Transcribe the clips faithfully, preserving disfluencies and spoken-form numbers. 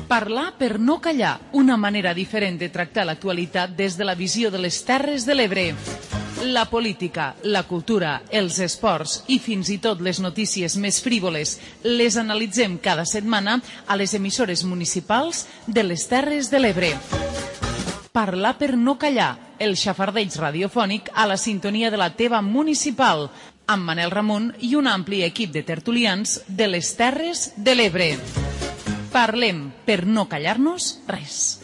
Parlar per no callar, una manera diferent de tractar l'actualitat des de la visió de les Terres de l'Ebre. La política, la cultura, els esports i fins i tot les notícies més frívoles les analitzem cada setmana a les emissores municipals de les Terres de l'Ebre. Parlar per no callar, el xafardeig radiofònic a la sintonia de la teva municipal, amb Manel Ramon i un ampli equip de tertulians de les Terres de l'Ebre. Parlem per no callar-nos res.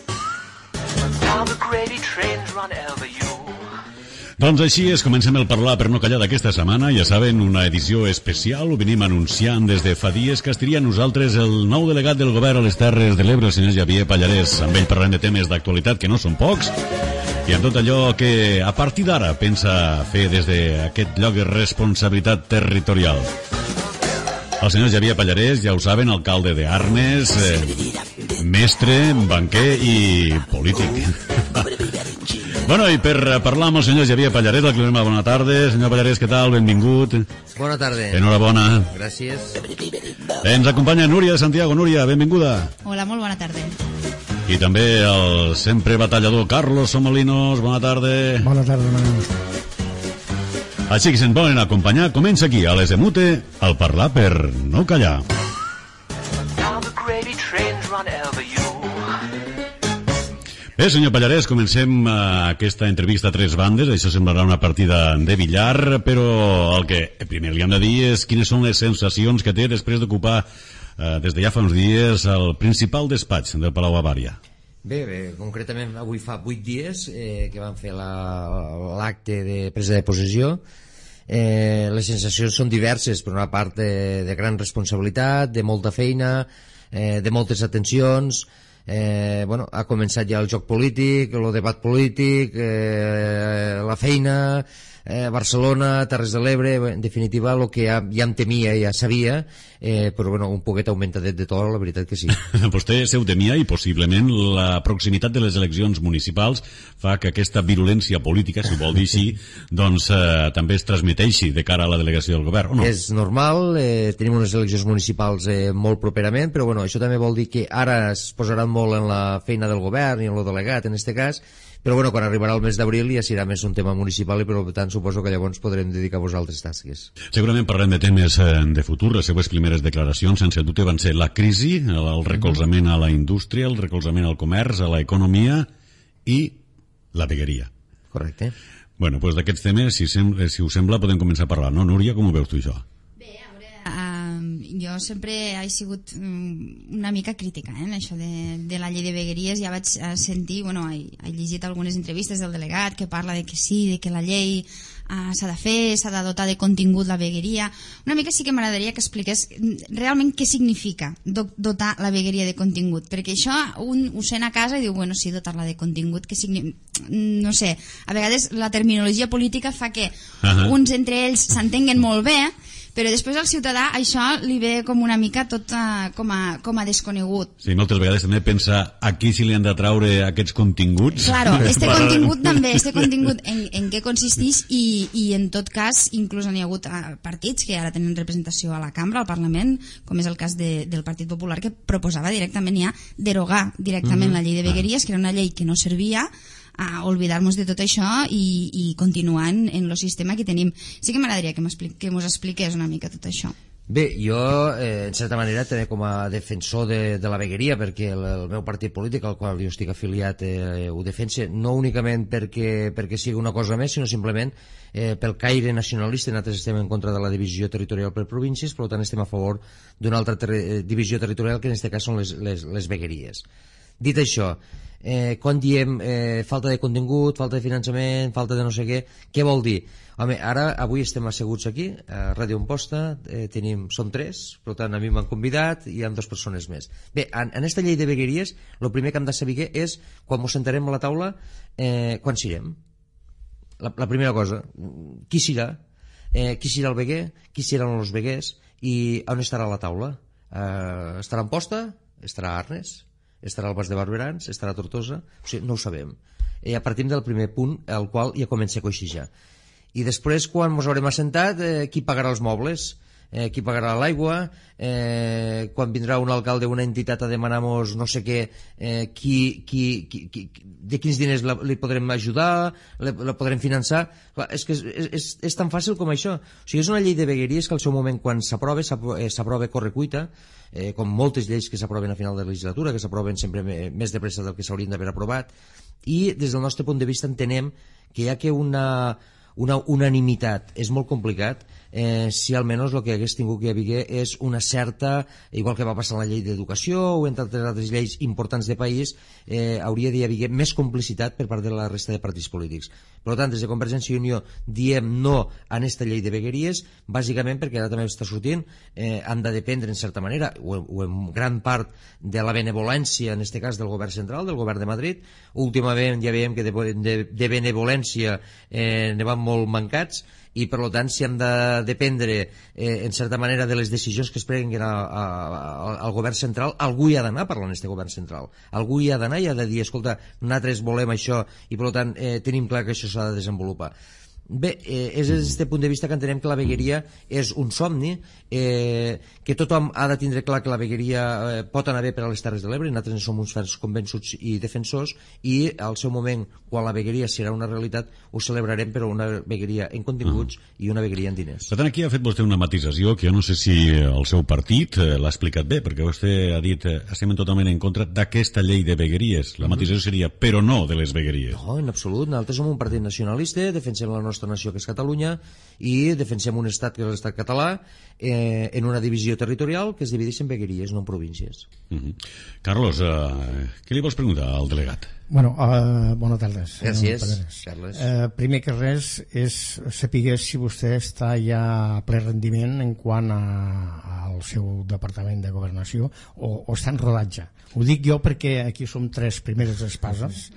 Doncs així és, comencem el Parlar per no callar d'aquesta setmana. Ja saben, una edició especial, ho venim anunciant des de fa dies, que estaria a nosaltres el nou delegat del govern a les Terres de l'Ebre, el senyor Xavier Pallarès. Amb ell parlem de temes d'actualitat que no són pocs, i amb tot allò que a partir d'ara pensa fer des d'aquest lloc de responsabilitat territorial. El senyor Xavier Pallarès, ja ho saben, alcalde de Arnes, eh, mestre, banquer i polític. Bueno, i per parlar amb el senyor Xavier Pallarès, el que li donem bona tarda. Senyor Pallarès, què tal? Benvingut. Bona tarda. Enhorabona. Gràcies. Ens acompanya Núria de Santiago. Núria, benvinguda. Hola, molt bona tarda. I també el sempre batallador Carlos Somolinos. Bona tarda. Bona tarda, Manel. Així que se'n volen acompanyar, comença aquí, a les Emute, el Parlar per no callar. Bé, senyor Pallarès, comencem aquesta entrevista a tres bandes. Això semblarà una partida de billar, però el que primer li hem de dir és quines són les sensacions que té després d'ocupar, eh, des de ja fa uns dies, el principal despatx del Palau Avària. Bé, bé, concretament avui fa vuit dies eh, que van fer l'acte la, de presa de possessió. Eh, les sensacions són diverses, per una part de, de gran responsabilitat, de molta feina, eh, de moltes atencions. Eh, bueno, ha començat ja el joc polític, el debat polític, eh, la feina, eh, Barcelona, Terres de l'Ebre, en definitiva el que ja, ja em temia, ja sabia, eh, però bueno, un poquet augmentadet de to, la veritat que sí. Vostè se ho temia i possiblement la proximitat de les eleccions municipals fa que aquesta virulència política, si ho vol dir així, doncs eh, també es transmeteixi de cara a la delegació del govern, o no? És normal, eh, tenim unes eleccions municipals eh, molt properament, però bueno, això també vol dir que ara es posaran molt en la feina del govern i en el delegat, en este cas, però bueno, quan arribarà el mes d'abril ja serà més un tema municipal i per tant suposo que llavors podrem dedicar-vos a altres tasques. Segurament parlem de temes de futur. Les seues primeres declaracions, sense dubte, van ser la crisi, el recolzament a la indústria, el recolzament al comerç, a l'economia i la vegueria. Correcte. Bueno, doncs d'aquests temes, si, sem si us sembla, podem començar a parlar, no? Núria, com ho veus tu això? Bé, a veure, uh, jo sempre he sigut um, una mica crítica eh, en això de, de la llei de vegueries. Ja vaig uh, sentir, bueno, he, he llegit algunes entrevistes del delegat que parla de que sí, de que la llei uh, s'ha de fer, s'ha de dotar de contingut la vegueria. Una mica sí que m'agradaria que expliqués realment què significa do dotar la vegueria de contingut, perquè això un ho sent a casa i diu, bueno, sí, dotar-la de contingut, que significa... no sé, a vegades la terminologia política fa que uh-huh. uns entre ells s'entenguen molt bé, però després al ciutadà això li ve com una mica tot uh, com, a, com a desconegut. Sí, moltes vegades també pensa aquí si li han de traure aquests continguts. Claro, este contingut també, este contingut en, en què consisteix i, i en tot cas inclús n'hi ha hagut uh, partits que ara tenen representació a la cambra, al Parlament, com és el cas de, del Partit Popular, que proposava directament ja derogar directament mm-hmm. la llei de vegueries, que era una llei que no servia, a oblidar-nos de tot això i, i continuar en, en el sistema que tenim. Sí que m'agradaria que m'ho expliqués una mica tot això. Bé, jo, eh, en certa manera, també com a defensor de, de la vegueria, perquè el, el meu partit polític, al qual jo estic afiliat, eh, ho defensa, no únicament perquè, perquè sigui una cosa més, sinó simplement eh, pel caire nacionalista. Nosaltres estem en contra de la divisió territorial per províncies, per tant estem a favor d'una altra ter divisió territorial, que en aquest cas són les, les, les vegueries. Dit això, eh, quan diem eh, falta de contingut, falta de finançament, falta de no sé què, què vol dir? Home, ara, avui estem asseguts aquí, a Ràdio Amposta, eh, tenim, som tres, per tant a mi m'han convidat i hi ha dues persones més. Bé, en, en esta llei de vegueries, el primer que hem de saber és, quan ens sentarem a la taula, eh, quan serem? La, la primera cosa, qui serà? Eh, qui serà el veguer? Qui seran els veguers? I on estarà la taula? Eh, estarà a Amposta? Estarà a Arnes? Estarà al Bas de Barberans, estarà a Tortosa, o sigui, no ho sabem. Ja partim del primer punt, al qual ja comença a coixijar. I després, quan ens haurem assentat, eh, qui pagarà els mobles? eh, qui pagarà l'aigua, eh, quan vindrà un alcalde d'una entitat a demanar-nos no sé què, eh, qui, qui, qui, qui, de quins diners la, li podrem ajudar, la, la podrem finançar. Clar, és que és, és, és tan fàcil com això. O sigui, és una llei de vegueries que al seu moment, quan s'aprova, s'aprova correcuita, eh, com moltes lleis que s'aproven a final de legislatura, que s'aproven sempre més de pressa del que s'haurien d'haver aprovat, i des del nostre punt de vista entenem que hi ha que una una unanimitat és molt complicat, eh, si almenys el que hagués tingut que haver és una certa, igual que va passar en la llei d'educació o en altres altres lleis importants de país, eh, hauria d'haver més complicitat per part de la resta de partits polítics. Per tant, des de Convergència i Unió diem no a aquesta llei de vegueries, bàsicament perquè ara també està sortint, eh, han de dependre en certa manera, o, o en gran part, de la benevolència, en aquest cas del govern central, del govern de Madrid. Últimament ja veiem que de, de, de benevolència eh, ne van molt mancats, i per tant si hem de dependre eh, en certa manera de les decisions que es prenguin a, a, a, al govern central, algú hi ha d'anar parlant d'aquest govern central, algú hi ha d'anar i ha de dir, escolta, nosaltres volem això i per tant eh, tenim clar que això s'ha de desenvolupar. Bé, eh, és des d'aquest punt de vista que entenem que la vegueria és un somni, eh, que tothom ha de tindre clar que la vegueria eh, pot anar bé per a les Terres de l'Ebre, nosaltres en som uns fans convençuts i defensors, i al seu moment, quan la vegueria serà una realitat, ho celebrarem, però una vegueria en continguts uh-huh. i una vegueria en diners. Per tant, aquí ha fet vostè una matisació que jo no sé si el seu partit eh, l'ha explicat bé, perquè vostè ha dit eh, estem totalment en contra d'aquesta llei de vegueries. La matisació uh-huh. seria però no de les vegueries. No, en absolut. Nosaltres som un partit nacionalista, defensem la nostra nació, que és Catalunya, i defensem un estat que és l'estat català, eh, en una divisió territorial que es divideix en vegueries, no en províncies. Uh-huh. Carlos, eh, què li vols preguntar al delegat? Bueno, uh, bona tarda. Gràcies, Carles. Uh, primer que res és saber si vostè està ja a ple rendiment en quant a, al seu departament de governació o, o està en rodatge. Ho dic jo perquè aquí som tres primeres espases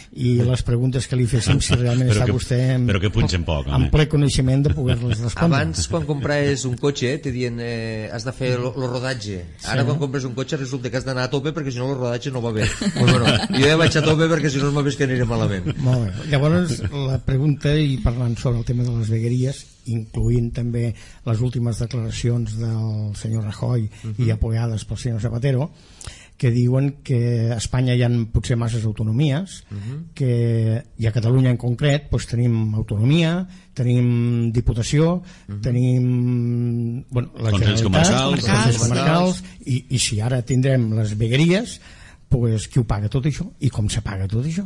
i les preguntes que li féssim si realment però està que, vostè en, però que punxen poc, en ple coneixement de poder-les respondre. Abans, quan compraves un cotxe, te dient eh, has de fer el rodatge. Ara, sí, quan compres un cotxe, resulta que has d'anar a tope perquè si no el rodatge no va bé. Pues bueno, jo ja vaig a tope perquè si no m'ha vist que aniré malament. Molt bé. Llavors, la pregunta, i parlant sobre el tema de les vegueries, incloent també les últimes declaracions del senyor Rajoy uh-huh. i apoyades pel senyor Zapatero, que diuen que a Espanya hi ha potser masses autonomies, uh-huh. que, i a Catalunya en concret doncs tenim autonomia, tenim diputació, uh-huh. tenim bueno, la Consells comarcals, Consells comarcals i, i si ara tindrem les vegueries, pues, qui ho paga tot això i com se paga tot això,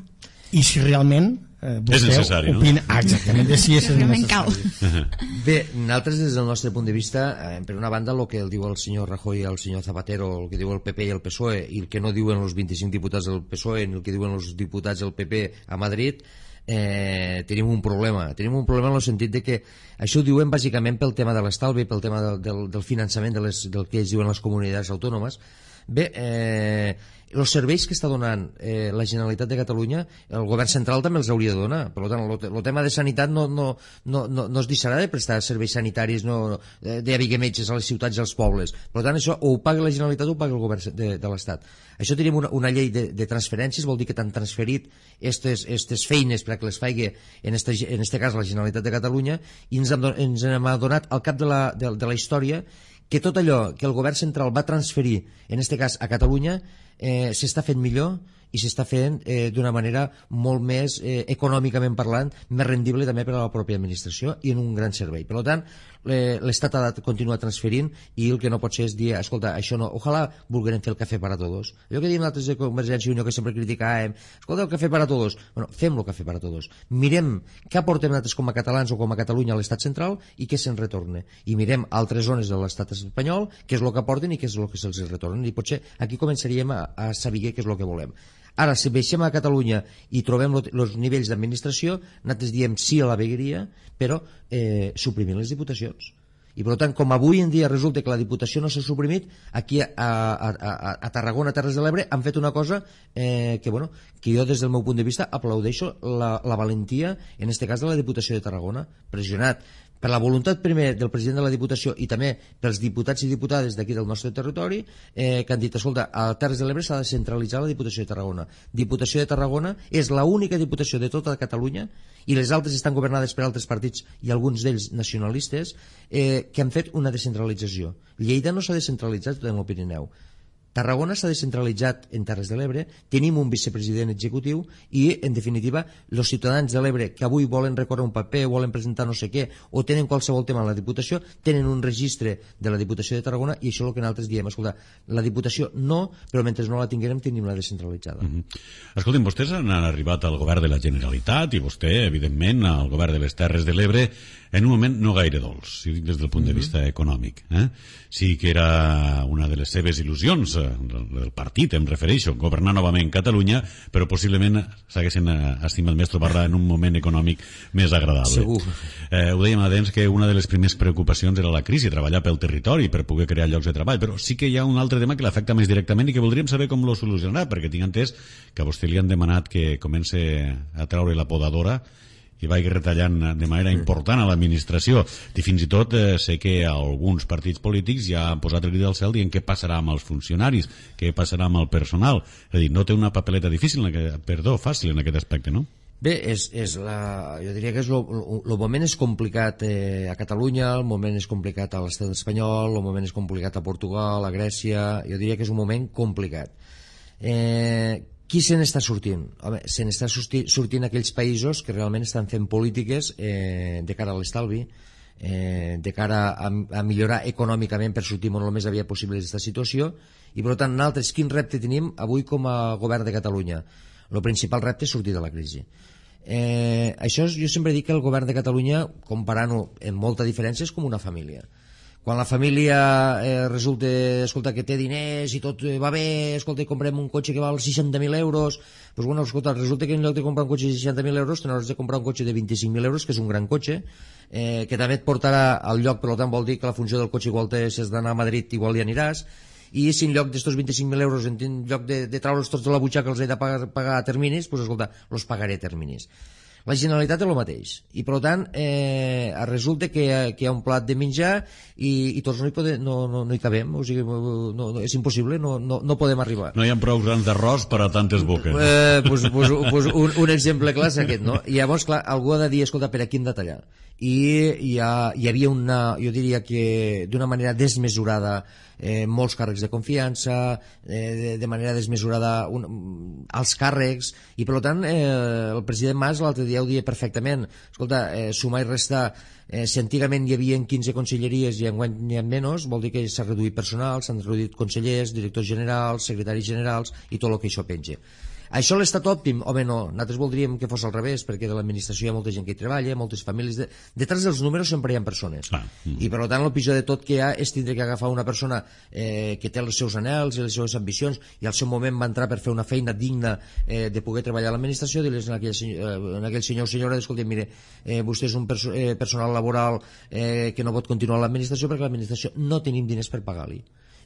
i si realment eh, vostè és necessari, opina, no? Ah, exactament, de si és necessari. Bé, nosaltres des del nostre punt de vista, eh, per una banda el que el diu el senyor Rajoy i el senyor Zapatero, el que diu el P P i el P S O E, i el que no diuen els vint-i-cinc diputats del P S O E ni el que diuen els diputats del P P a Madrid, eh, tenim un problema tenim un problema en el sentit de que això ho diuen bàsicament pel tema de l'estalvi, pel tema del, del, del finançament de les, del que ells diuen les comunitats autònomes. Bé, eh, els serveis que està donant eh, la Generalitat de Catalunya, el govern central també els hauria de donar. Per tant, el tema de sanitat no, no, no, no, no es deixarà de prestar serveis sanitaris, no, d'haver metges a les ciutats i als pobles. Per tant, això o ho paga la Generalitat o ho paga el govern de, de l'Estat. Això tenim una, una llei de, de transferències, vol dir que t'han transferit aquestes feines perquè les faigui en este, en este cas la Generalitat de Catalunya, i ens hem, ens hem adonat al cap de la, de, de la història que tot allò que el govern central va transferir, en aquest cas a Catalunya, eh, s'està fent millor i s'està fent eh, d'una manera molt més eh, econòmicament parlant, més rendible també per a la pròpia administració i en un gran servei. Per tant, eh, l'Estat ha de continuar transferint i el que no pot ser és dir, escolta, això no, ojalà vulguem fer el cafè para todos. Allò que diem nosaltres de Convergència i Unió, que sempre criticàvem, escolta, el cafè para todos. Bueno, fem el cafè para todos. Mirem què aportem nosaltres com a catalans o com a Catalunya a l'Estat central i què se'n retorna. I mirem altres zones de l'Estat espanyol, què és el que aporten i què és el que se'ls retorna. I potser aquí començaríem a, a saber què és el que volem. Ara, si baixem a Catalunya i trobem els nivells d'administració, nosaltres diem sí a la vegueria, però eh, suprimint les diputacions. I per tant, com avui en dia resulta que la diputació no s'ha suprimit, aquí a, a, a, a Tarragona, a Terres de l'Ebre, han fet una cosa eh, que, bueno, que jo des del meu punt de vista aplaudeixo la, la valentia, en aquest cas de la Diputació de Tarragona, pressionat per la voluntat primer del president de la Diputació i també pels diputats i diputades d'aquí del nostre territori, eh, que han dit, escolta, a Terres de l'Ebre s'ha de centralitzar la Diputació de Tarragona. Diputació de Tarragona és l'única diputació de tota Catalunya, i les altres estan governades per altres partits i alguns d'ells nacionalistes, eh, que han fet una descentralització. Lleida no s'ha descentralitzat en el Pirineu. Tarragona s'ha descentralitzat en Terres de l'Ebre, tenim un vicepresident executiu i, en definitiva, els ciutadans de l'Ebre que avui volen recórrer un paper, volen presentar no sé què, o tenen qualsevol tema a la Diputació, tenen un registre de la Diputació de Tarragona, i això és el que nosaltres diem, escolta, la Diputació no, però mentre no la tinguem tenim la descentralitzada. Mm -hmm. Escoltin, vostès han arribat al govern de la Generalitat i vostè, evidentment, al govern de les Terres de l'Ebre en un moment no gaire dolç, si dic des del punt de vista econòmic. Eh? Sí que era una de les seves il·lusions del partit, em refereixo, governar novament Catalunya, però possiblement s'haguessin estimat més trobar-la en un moment econòmic més agradable. Segur. Eh, ho dèiem abans que una de les primeres preocupacions era la crisi, treballar pel territori per poder crear llocs de treball, però sí que hi ha un altre tema que l'afecta més directament i que voldríem saber com lo solucionarà, perquè tinc entès que a vostè li han demanat que comence a treure la podadora i vagi retallant de manera important a l'administració. I fins i tot eh, sé que alguns partits polítics ja han posat el crit al cel dient què passarà amb els funcionaris, què passarà amb el personal. És a dir, no té una papeleta difícil, en aquest, perdó, fàcil en aquest aspecte, no? Bé, és, és la, jo diria que és el moment és complicat eh, a Catalunya, el moment és complicat a l'estat espanyol, el moment és complicat a Portugal, a Grècia, jo diria que és un moment complicat. Eh, qui se n'està sortint? Home, se n'està sortint aquells països que realment estan fent polítiques eh, de cara a l'estalvi, eh, de cara a, a millorar econòmicament per sortir molt més aviat possible d'aquesta situació, i per tant nosaltres quin repte tenim avui com a govern de Catalunya? El principal repte és sortir de la crisi. Eh, això jo sempre dic que el govern de Catalunya, comparant-ho en molta diferència, és com una família. Quan la família eh, resulta, escolta, que té diners i tot va bé, escolta, i comprem un cotxe que val seixanta mil euros, doncs bueno, escolta, resulta que en lloc de comprar un cotxe de seixanta mil euros t'hauràs de comprar un cotxe de vint-i-cinc mil euros, que és un gran cotxe, eh, que també et portarà al lloc, per tant vol dir que la funció del cotxe igual te, si has d'anar a Madrid igual hi aniràs, i si en lloc d'estos vint-i-cinc mil euros, en lloc de, de traure'ls tots de la butxaca els he de pagar, pagar a terminis, doncs escolta, els pagaré a terminis. La Generalitat és el mateix, i per tant eh, resulta que, que hi ha un plat de menjar i, i tots no hi, podem, no, no, no hi cabem, o sigui, no, no, és impossible, no, no, no podem arribar. No hi ha prou grans d'arròs per a tantes boques. Eh, pues, pues, pues un, un exemple clar és aquest, no? I llavors, clar, algú ha de dir, escolta, per aquí hem de tallar. I hi, ha, hi havia una, jo diria que d'una manera desmesurada, eh, molts càrrecs de confiança, eh, de, de manera desmesurada un, els càrrecs, i per tant eh, el president Mas l'altre dia ho dia perfectament, escolta, eh, sumar i restar, eh, si antigament hi havia quinze conselleries i enguany n'hi ha menys, vol dir que s'ha reduït personal, s'han reduït consellers, directors generals, secretaris generals i tot el que això penja. Això l'estat òptim? Home, no, nosaltres voldríem que fos al revés, perquè de l'administració hi ha molta gent que hi treballa, moltes famílies... De... Detrás dels números sempre hi ha persones. Ah. Mm. I per tant el pitjor de tot que hi ha és tindre que agafar una persona eh, que té els seus anhels i les seves ambicions i al seu moment va entrar per fer una feina digna eh, de poder treballar a l'administració, dir-les en aquell, eh, en aquell senyor o senyora, escolta, mire, eh, vostè és un perso eh, personal laboral eh, que no pot continuar a l'administració perquè l'administració no tenim diners per pagar-li.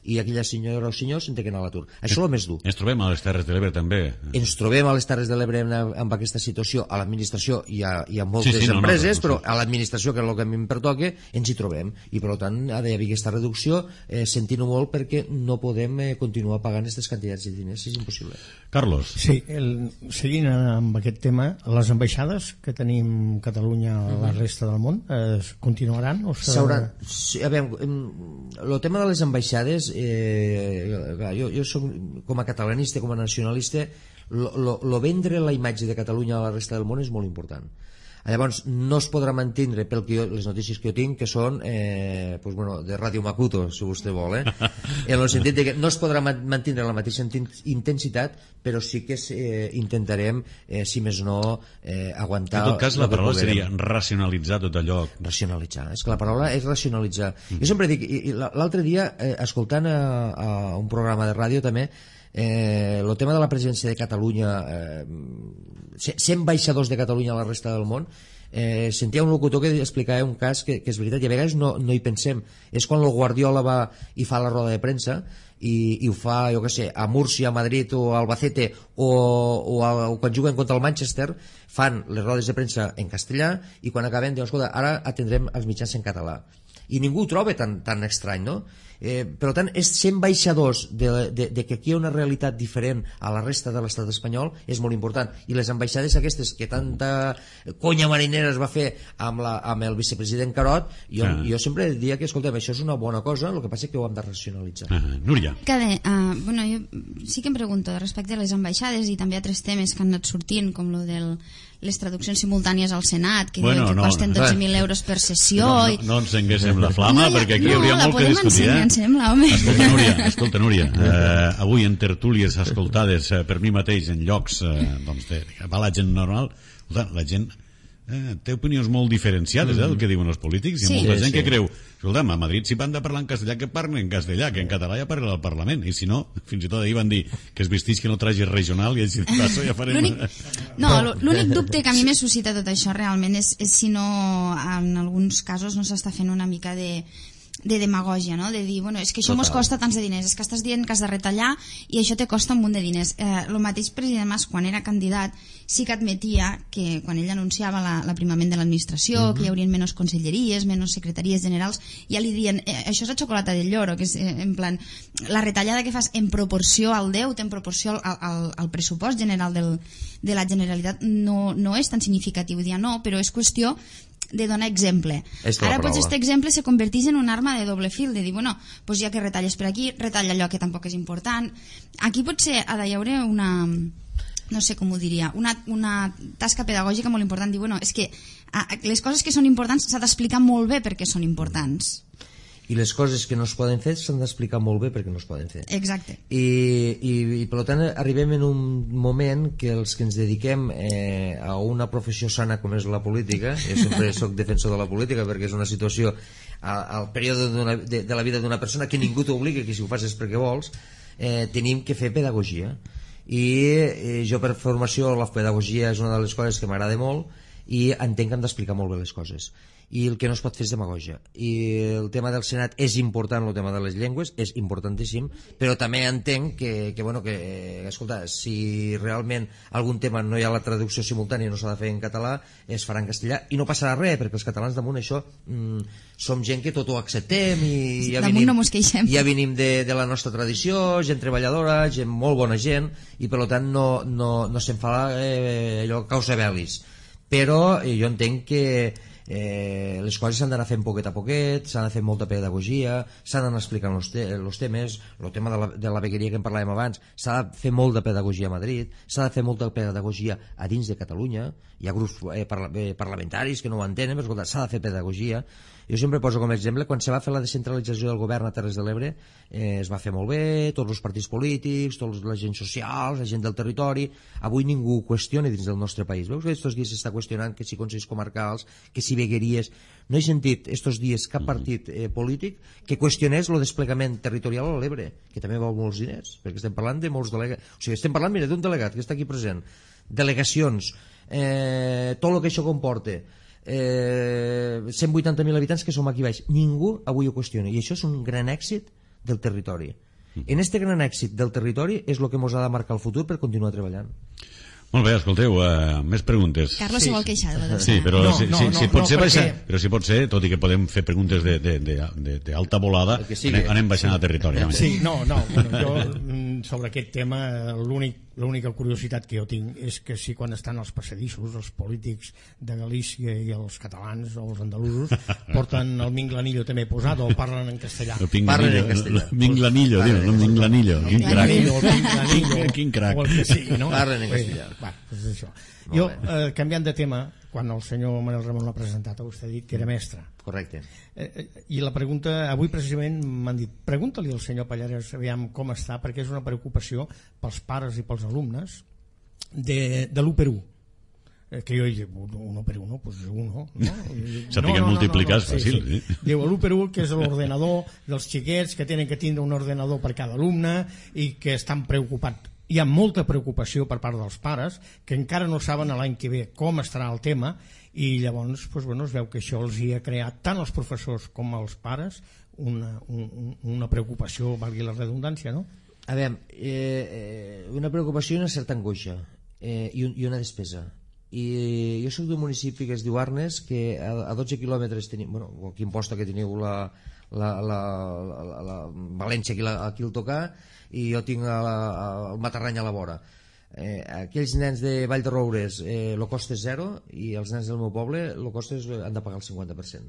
I aquella senyora o senyor se'n té que anar a l'atur. Això és el més dur. Ens trobem a les Terres de l'Ebre també. Ens trobem a les Terres de l'Ebre amb aquesta situació a l'administració i a, i a moltes sí, sí, empreses, no, no, no, però a l'administració, que és el que a mi em pertoca, ens hi trobem. I per tant ha d'haver aquesta reducció, eh, sentint-ho molt perquè no podem eh, continuar pagant aquestes quantitats de diners, és impossible. Carlos. Sí, el, seguint amb aquest tema, les ambaixades que tenim Catalunya a la resta del món eh, continuaran? O s'hauran... Sí, a veure, el tema de les ambaixades, eh, jo, jo soc, com a catalanista, com a nacionalista, lo, lo, lo vendre la imatge de Catalunya a la resta del món és molt important. Llavors no es podrà mantindre, pel que jo, les notícies que jo tinc, que són eh, pues, bueno, de Ràdio Makuto, si vostè vol, eh? en el sentit de que no es podrà mantindre la mateixa intensitat, però sí que eh, intentarem, eh, si més no, eh, aguantar... En tot cas, la paraula seria racionalitzar tot allò. Racionalitzar, és que la paraula és racionalitzar. Mm. Jo sempre dic, l'altre dia, eh, escoltant a, a un programa de ràdio també, eh, el tema de la presència de Catalunya eh, cent baixadors de Catalunya a la resta del món. Eh, sentia un locutor que explicava un cas que, que és veritat, i a vegades no, no hi pensem. És quan el Guardiola va i fa la roda de premsa i, i ho fa, jo què sé, a Múrcia, a Madrid o a Albacete o, o, a, o quan juguen contra el Manchester, fan les rodes de premsa en castellà i quan acaben diuen, escolta, ara atendrem els mitjans en català. I ningú ho troba tan, tan estrany, no? Eh, per tant, és ser ambaixadors de, de, de que aquí hi ha una realitat diferent a la resta de l'estat espanyol és molt important, i les ambaixades aquestes que tanta conya marinera es va fer amb, la, amb el vicepresident Carot, jo, ah. jo sempre diria que, escolta'm, això és una bona cosa, el que passa és que ho hem de racionalitzar. ah, Núria. Que bé, uh, bueno, jo sí que em pregunto respecte a les ambaixades i també a altres temes que han anat sortint, com lo del les traduccions simultànies al Senat, que bueno, diuen que no, costen dotze mil euros per sessió. No, no, i... no encenguéssim la flama, no, perquè aquí no, hi hauria molt que discutir. Ensenyar, eh? sembla, home. Escolta, Núria, escolta, Núria eh, avui en tertúlies escoltades eh, per mi mateix en llocs eh, doncs de, de, va la gent normal, la gent eh, té opinions molt diferenciades eh, del que diuen els polítics. Hi ha sí. molta sí, gent sí. que creu, escolta'm, a Madrid si van de parlar en castellà que parlen en castellà, que en català ja parla al Parlament, i si no, fins i tot ahir van dir que es vestís que no tragi regional i així de passo ja farem... No, l'únic dubte que a mi me suscita tot això realment és, és si no en alguns casos no s'està fent una mica de de demagògia, no? De dir, bueno, és que això mos costa tants de diners, és que estàs dient que has de retallar i això te costa un munt de diners. Eh, el mateix president Mas, quan era candidat, sí que admetia que quan ell anunciava l'aprimament de l'administració, uh-huh. que hi haurien menys conselleries, menys secretaries generals, ja li diuen, eh, això és la xocolata del lloro, que és eh, en plan, la retallada que fas en proporció al deute, en proporció al, al, al pressupost general del, de la Generalitat, no, no és tan significatiu, dia no, però és qüestió de donar exemple. Ara potser aquest exemple se converteix en un arma de doble fil, de dir, bueno, doncs ja que retalles per aquí, retalla allò que tampoc és important. Aquí potser ha d'haver una, no sé com ho diria, una, una tasca pedagògica molt important, dir, bueno, és que les coses que són importants s'ha d'explicar molt bé perquè són importants. I les coses que no es poden fer s'han d'explicar molt bé perquè no es poden fer. Exacte. I, i, i per tant arribem en un moment que els que ens dediquem eh, a una professió sana com és la política, jo sempre soc defensor de la política perquè és una situació al, al període de, de la vida d'una persona que ningú t'obliga, que si ho fas és perquè vols, eh, tenim que fer pedagogia. I eh, jo per formació la pedagogia és una de les coses que m'agrada molt i entenc que hem d'explicar molt bé les coses, i el que no es pot fer és demagogia. I el tema del Senat és important, el tema de les llengües és importantíssim, però també entenc que, que, bueno, que escolta, si realment algun tema no hi ha la traducció simultània, no s'ha de fer en català, es farà en castellà i no passarà res, perquè els catalans damunt això mm, som gent que tot ho acceptem i ja damunt venim, no mos queixem. ja venim de, de la nostra tradició, gent treballadora, gent molt bona gent, i per tant no, no, no se'n fa eh, allò causa bellis. Però eh, jo entenc que eh, les coses s'han d'anar fent poquet a poquet, s'ha d'anar fent molta pedagogia, s'han d'anar explicant els te temes, el tema de la, de la vegueria que en parlàvem abans, s'ha de fer molta pedagogia a Madrid, s'ha de fer molta pedagogia a dins de Catalunya, hi ha grups eh, parla eh, parlamentaris que no ho entenen, però escolta, s'ha de fer pedagogia. Jo sempre poso com a exemple, quan se va fer la descentralització del govern a Terres de l'Ebre, eh, es va fer molt bé, tots els partits polítics, tots la gent social, la gent del territori, avui ningú ho qüestiona dins del nostre país. Veus que aquests dies s'està qüestionant que si consells comarcals, que si vegueries... No he sentit estos dies cap partit eh, polític que qüestionés el desplegament territorial a l'Ebre, que també val molts diners, perquè estem parlant de molts delegats. O sigui, estem parlant, mira, d'un delegat que està aquí present, delegacions, eh, tot el que això comporta, eh, cent vuitanta mil habitants que som aquí baix, ningú avui ho qüestiona, i això és un gran èxit del territori. En este gran èxit del territori és el que ens ha de marcar el futur per continuar treballant. Molt bé, escolteu, uh, més preguntes. Carlos sí. se vol queixar de la del Sí, però no, si, no, si, no, si pot no, ser perquè... baixa, però si pot ser, tot i que podem fer preguntes d'alta volada, anem, anem baixant a territori. Sí, no, no, bueno, jo sobre aquest tema l'únic l'única curiositat que jo tinc és que si quan estan als passadissos els polítics de Galícia i els catalans o els andalusos porten el minglanillo també posat o parlen en castellà. Parlen en castellà. Minglanillo, diu, no minglanillo. Quin crac. Quin crac. O el que sigui, no? Parlen en castellà. Va, doncs això. Jo, eh, canviant de tema, quan el senyor Manuel Ramon l'ha presentat, vostè ha dit que era mestre. Correcte. Eh, I la pregunta, avui precisament m'han dit, pregunta-li al senyor Pallares aviam com està, perquè és una preocupació pels pares i pels alumnes de, de l'u per u. Eh, que jo dic, uno per uno, pues uno, no? Sapiguem no, no, multiplicar és no, no, no. fàcil. Sí, sí. Diu, l'u per u, que és l'ordenador dels xiquets, que tenen que tindre un ordenador per cada alumne i que estan preocupats hi ha molta preocupació per part dels pares que encara no saben l'any que ve com estarà el tema, i llavors doncs, bueno, es veu que això els hi ha creat tant als professors com als pares una, un, una preocupació, valgui la redundància, no? A veure, eh, una preocupació i una certa angoixa, eh, i, un, i una despesa. I jo soc d'un municipi que es diu Arnes, que a, a dotze quilòmetres tenim, bueno, aquí em posta que teniu la, la, la, la, la, la València aquí, la, aquí el tocar, i jo tinc a la, a, el Matarrany a la vora. Eh, aquells nens de Vall de Roures eh, el cost és zero, i els nens del meu poble el cost és, han de pagar el cinquanta per cent.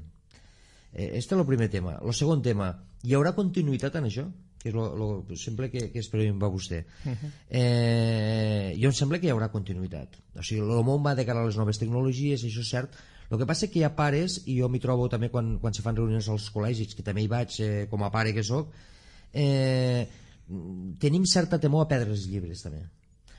Eh, este és el primer tema. El segon tema, hi haurà continuïtat en això? Que és lo, lo, sempre que, que espero va vostè. Uh-huh. eh, jo em sembla que hi haurà continuïtat. O sigui, el món va de cara a les noves tecnologies, això és cert. El que passa és que hi ha pares, i jo m'hi trobo també quan, quan se fan reunions als col·legis, que també hi vaig eh, com a pare que soc, eh, tenim certa temor a perdre els llibres també,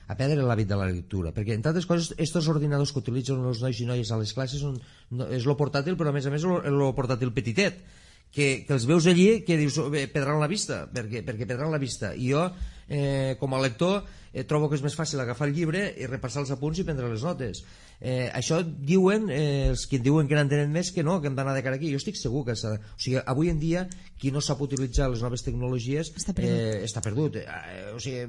a perdre l'hàbit de la lectura, perquè entre altres coses estos ordinadors que utilitzen els nois i noies a les classes són, no, és lo portàtil, però a més a més és lo portàtil petitet, que, que els veus allí que dius eh, perdran la vista, perquè, perquè perdran la vista, i jo eh, com a lector eh, trobo que és més fàcil agafar el llibre i repassar els apunts i prendre les notes. Eh, això diuen eh, els que diuen que n'entenen més, que no, que hem d'anar de cara aquí. Jo estic segur que s'ha... O sigui, avui en dia qui no sap utilitzar les noves tecnologies està perdut, eh, està perdut. Eh, o sigui,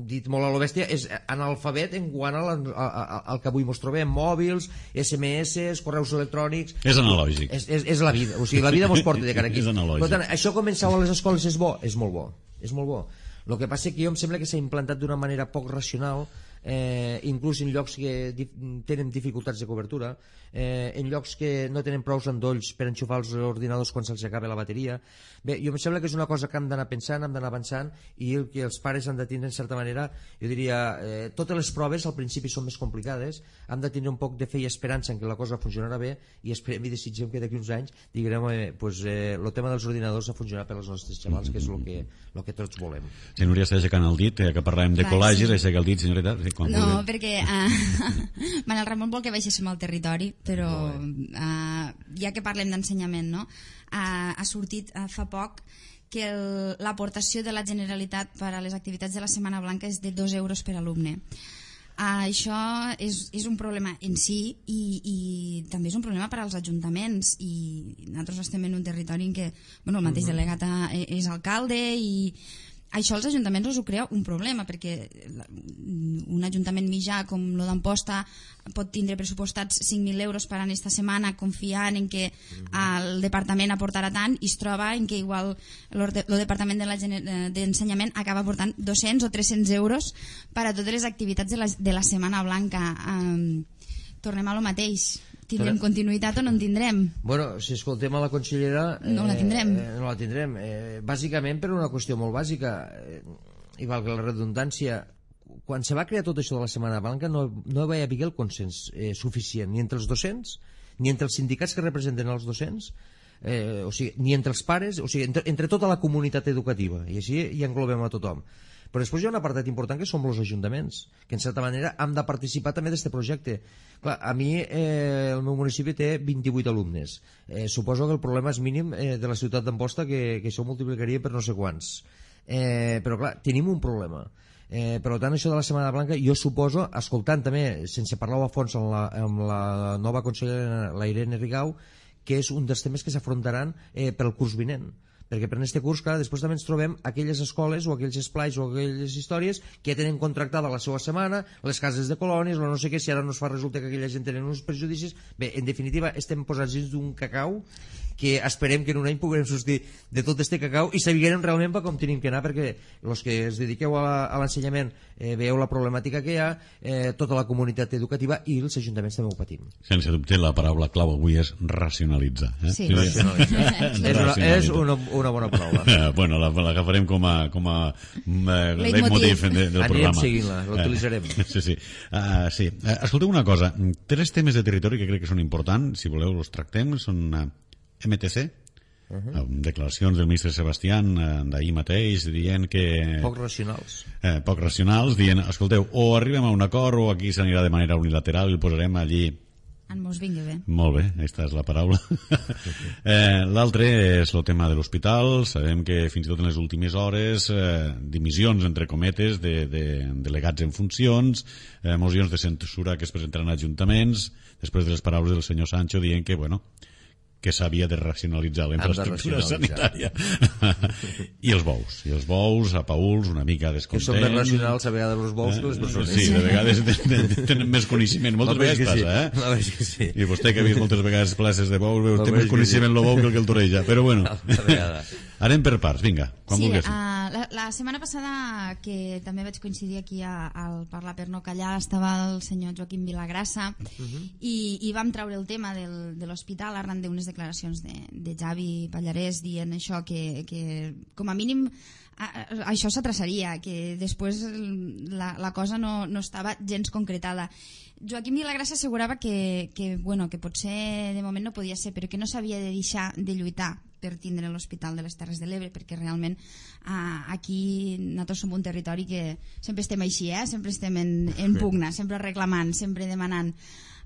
dit molt a lo bèstia, és analfabet en quant al, al que avui mos trobem, mòbils, esse eme esse, correus electrònics. És analògic. És, és, és la vida, o sigui, la vida mos porta de cara aquí. És analògic. Per tant, això començar a les escoles és bo, és molt bo, és molt bo. El que passa és que jo em sembla que s'ha implantat d'una manera poc racional, eh, inclús en llocs que di tenen dificultats de cobertura, eh, en llocs que no tenen prou endolls per enxufar els ordinadors quan se'ls acaba la bateria. Bé, jo em sembla que és una cosa que hem d'anar pensant, hem d'anar avançant, i el que els pares han de tindre en certa manera, jo diria, eh, totes les proves al principi són més complicades, hem de tindre un poc de fe i esperança en que la cosa funcionarà bé, i esperem i desitgem que d'aquí uns anys diguem, eh, pues, eh, el tema dels ordinadors ha funcionat per als nostres xavals, que és el que, el que tots volem. Si Núria està aixecant el dit, eh, que parlàvem de Clar, col·legis, sí. aixeca el dit, senyoreta. Sí, quan no, vulgui. perquè uh, Manel Ramon vol que baixéssim al territori, però uh, ja que parlem d'ensenyament, no? Uh, ha sortit uh, fa poc que l'aportació de la Generalitat per a les activitats de la Setmana Blanca és de dos euros per alumne. Uh, això és, és un problema en si, i, i també és un problema per als ajuntaments, i nosaltres estem en un territori en què, bueno, el mateix delegat és alcalde, i això als ajuntaments us ho crea un problema, perquè un ajuntament mitjà com el d'Amposta pot tindre pressupostats cinc mil euros per a aquesta setmana, confiant en que el departament aportarà tant, i es troba en que igual el departament d'ensenyament de acaba aportant dos-cents o tres-cents euros per a totes les activitats de la, de la Setmana Blanca. Um, tornem a lo mateix. Tindrem continuïtat o no en tindrem? Bueno, si escoltem a la consellera... Eh, no la tindrem. Eh, no la tindrem. Eh, bàsicament per una qüestió molt bàsica, eh, i valga la redundància, quan se va crear tot això de la Setmana Blanca no, no va haver el consens eh, suficient, ni entre els docents, ni entre els sindicats que representen els docents, eh, o sigui, ni entre els pares, o sigui, entre, entre tota la comunitat educativa, i així hi englobem a tothom. Però després hi ha un apartat important que som els ajuntaments, que en certa manera hem de participar també d'aquest projecte. Clar, a mi eh, el meu municipi té vint-i-vuit alumnes. Eh, suposo que el problema és mínim eh, de la ciutat d'Amposta, que, que això ho multiplicaria per no sé quants. Eh, però clar, tenim un problema. Eh, per tant, això de la Setmana Blanca, jo suposo, escoltant també, sense parlar a fons amb la, amb la nova consellera, la Irene Rigau, que és un dels temes que s'afrontaran eh, pel curs vinent. Perquè per aquest curs, clar, després també ens trobem aquelles escoles o aquells esplais o aquelles històries que ja tenen contractada la seva setmana, les cases de colònies, o no sé què, si ara no es fa resulta que aquella gent tenen uns prejudicis. Bé, en definitiva, estem posats dins d'un cacau que esperem que en un any puguem sortir de tot este cacau i sabiguem realment per com tenim que anar, perquè els que es dediqueu a l'ensenyament eh, veieu la problemàtica que hi ha, eh, tota la comunitat educativa i els ajuntaments també ho patim. Sense dubte, la paraula clau avui és racionalitzar. Eh? Sí. Racionalitzar. és una, és una, una bona paraula. Eh, bueno, l'agafarem com a, com a eh, leitmotiv de, del Anirem programa. seguint-la, l'utilitzarem. Eh, sí, sí. Uh, sí. Uh, escolteu una cosa, tres temes de territori que crec que són importants, si voleu els tractem, són uh, eme te ce, uh -huh. uh, declaracions del ministre Sebastián uh, d'ahir mateix dient que... Poc racionals. Eh, poc racionals, dient, escolteu, o arribem a un acord o aquí s'anirà de manera unilateral i el posarem allí En mos vingui bé. Molt bé, aquesta és la paraula. eh, L'altre és el tema de l'hospital. Sabem que fins i tot en les últimes hores eh, dimissions, entre cometes, de, de delegats en funcions, eh, mocions de censura que es presentaran a ajuntaments, després de les paraules del senyor Sancho dient que, bueno, que s'havia de racionalitzar la infraestructura sanitària. I els bous, i els bous a Pauls una mica descontents. Que són més racionals a vegades els bous que les persones. Sí, de vegades tenen més coneixement, moltes vegades passa, eh? La veritat que sí. I vostè que ha vist moltes vegades places de bous, té més coneixement el bou que el que el toreja, però bueno. Anem per parts, vinga, quan sí, vulguis. Uh, la, la setmana passada, que també vaig coincidir aquí a, al Parlar per no callar, estava el senyor Joaquim Vilagrassa uh -huh. i, i vam treure el tema del, de l'hospital arran d'unes declaracions de, de Javi Pallarès dient això, que, que com a mínim a, a, això s'atrasaria, que després la, la cosa no, no estava gens concretada. Joaquim Vilagrassa assegurava que, que, bueno, que potser de moment no podia ser, però que no s'havia de deixar de lluitar per tindre l'Hospital de les Terres de l'Ebre, perquè realment eh, aquí nosaltres som un territori que sempre estem així, eh? Sempre estem en, en pugna, sempre reclamant, sempre demanant.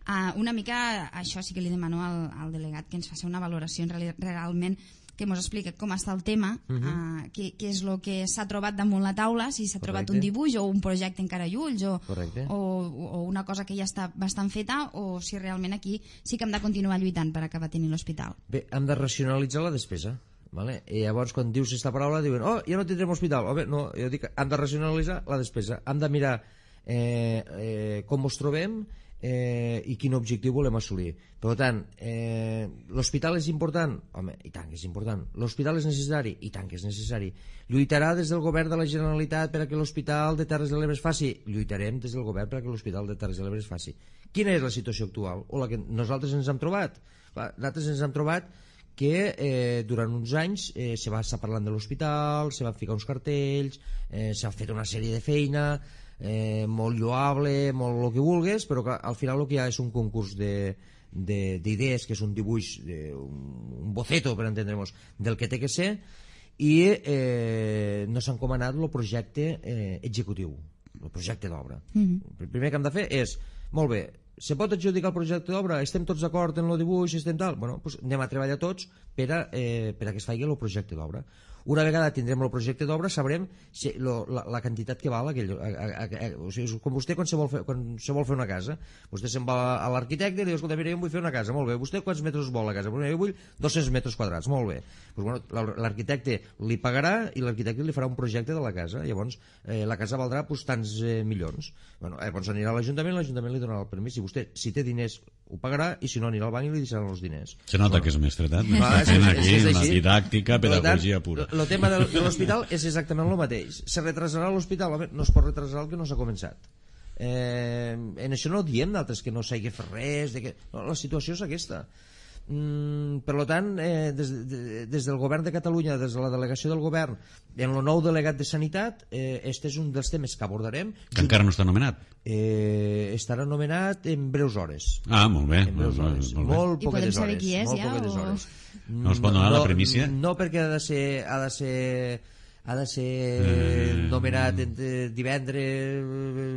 Uh, una mica això sí que li demano al, al delegat que ens faci una valoració en reali, realment que ens expliqui com està el tema, uh -huh. uh, què, què és el que s'ha trobat damunt la taula, si s'ha trobat un dibuix o un projecte encara a ulls o, o, o una cosa que ja està bastant feta, o si realment aquí sí que hem de continuar lluitant per acabar tenint l'hospital. Bé, hem de racionalitzar la despesa, vale? I llavors quan dius aquesta paraula diuen, oh, ja no tindrem hospital. Home, no, jo dic, hem de racionalitzar la despesa, hem de mirar eh, eh, com ens trobem eh, i quin objectiu volem assolir. Per tant, eh, l'hospital és important? Home, i tant que és important. L'hospital és necessari? I tant que és necessari. Lluitarà des del govern de la Generalitat per a que l'Hospital de Terres de l'Ebre es faci? Lluitarem des del govern per a que l'Hospital de Terres de l'Ebre es faci. Quina és la situació actual? O la que nosaltres ens hem trobat? Clar, nosaltres ens hem trobat que eh, durant uns anys eh, se va estar parlant de l'hospital, se van ficar uns cartells, eh, s'ha fet una sèrie de feina, eh, molt lloable, molt el que vulgues, però que al final el que hi ha és un concurs de d'idees, que és un dibuix, de, un, un boceto, per entendre'ns, del que té que ser, i eh, no s'ha encomanat el projecte eh, executiu, el projecte d'obra. Mm-hmm. El primer que hem de fer és, molt bé, se pot adjudicar el projecte d'obra? Estem tots d'acord en el dibuix? Estem tal? Bueno, doncs anem a treballar tots per a, eh, per a que es faci el projecte d'obra. Una vegada tindrem el projecte d'obra sabrem si, lo, la, la quantitat que val aquell, a, a, a, o sigui, com vostè quan se vol fer, quan se vol fer una casa, vostè se'n va a l'arquitecte i li diu, escolta, mira, jo vull fer una casa, molt bé, vostè quants metres vol la casa? Jo vull dos-cents metres quadrats, molt bé. Pues, bueno, l'arquitecte li pagarà i l'arquitecte li farà un projecte de la casa, llavors eh, la casa valdrà pues, tants eh, milions. Bueno, llavors anirà a l'Ajuntament, l'Ajuntament li donarà el permís, i vostè, si té diners, ho pagarà, i si no anirà al banc i li deixaran els diners. Se nota bueno, que és mestretat, ah, és, és, aquí, és una didàctica, pedagogia pura. El tema de l'hospital és exactament el mateix. Se retrasarà l'hospital? No es pot retrasar el que no s'ha començat. Eh, en això no diem d'altres que no s'hagi de fer res, de que... no, la situació és aquesta. Mm, per tant, eh, des, de, des del govern de Catalunya, des de la delegació del govern, en el nou delegat de Sanitat, eh, este és un dels temes que abordarem. Que encara no està nomenat? Eh, estarà nomenat en breus hores. Ah, molt bé. En breus molt, hores. Molt, molt I podem saber hores, qui és molt ja? O... hores. No es pot donar no, la primícia? No, perquè ha de ser... Ha de ser ha de ser eh... nomenat entre divendres...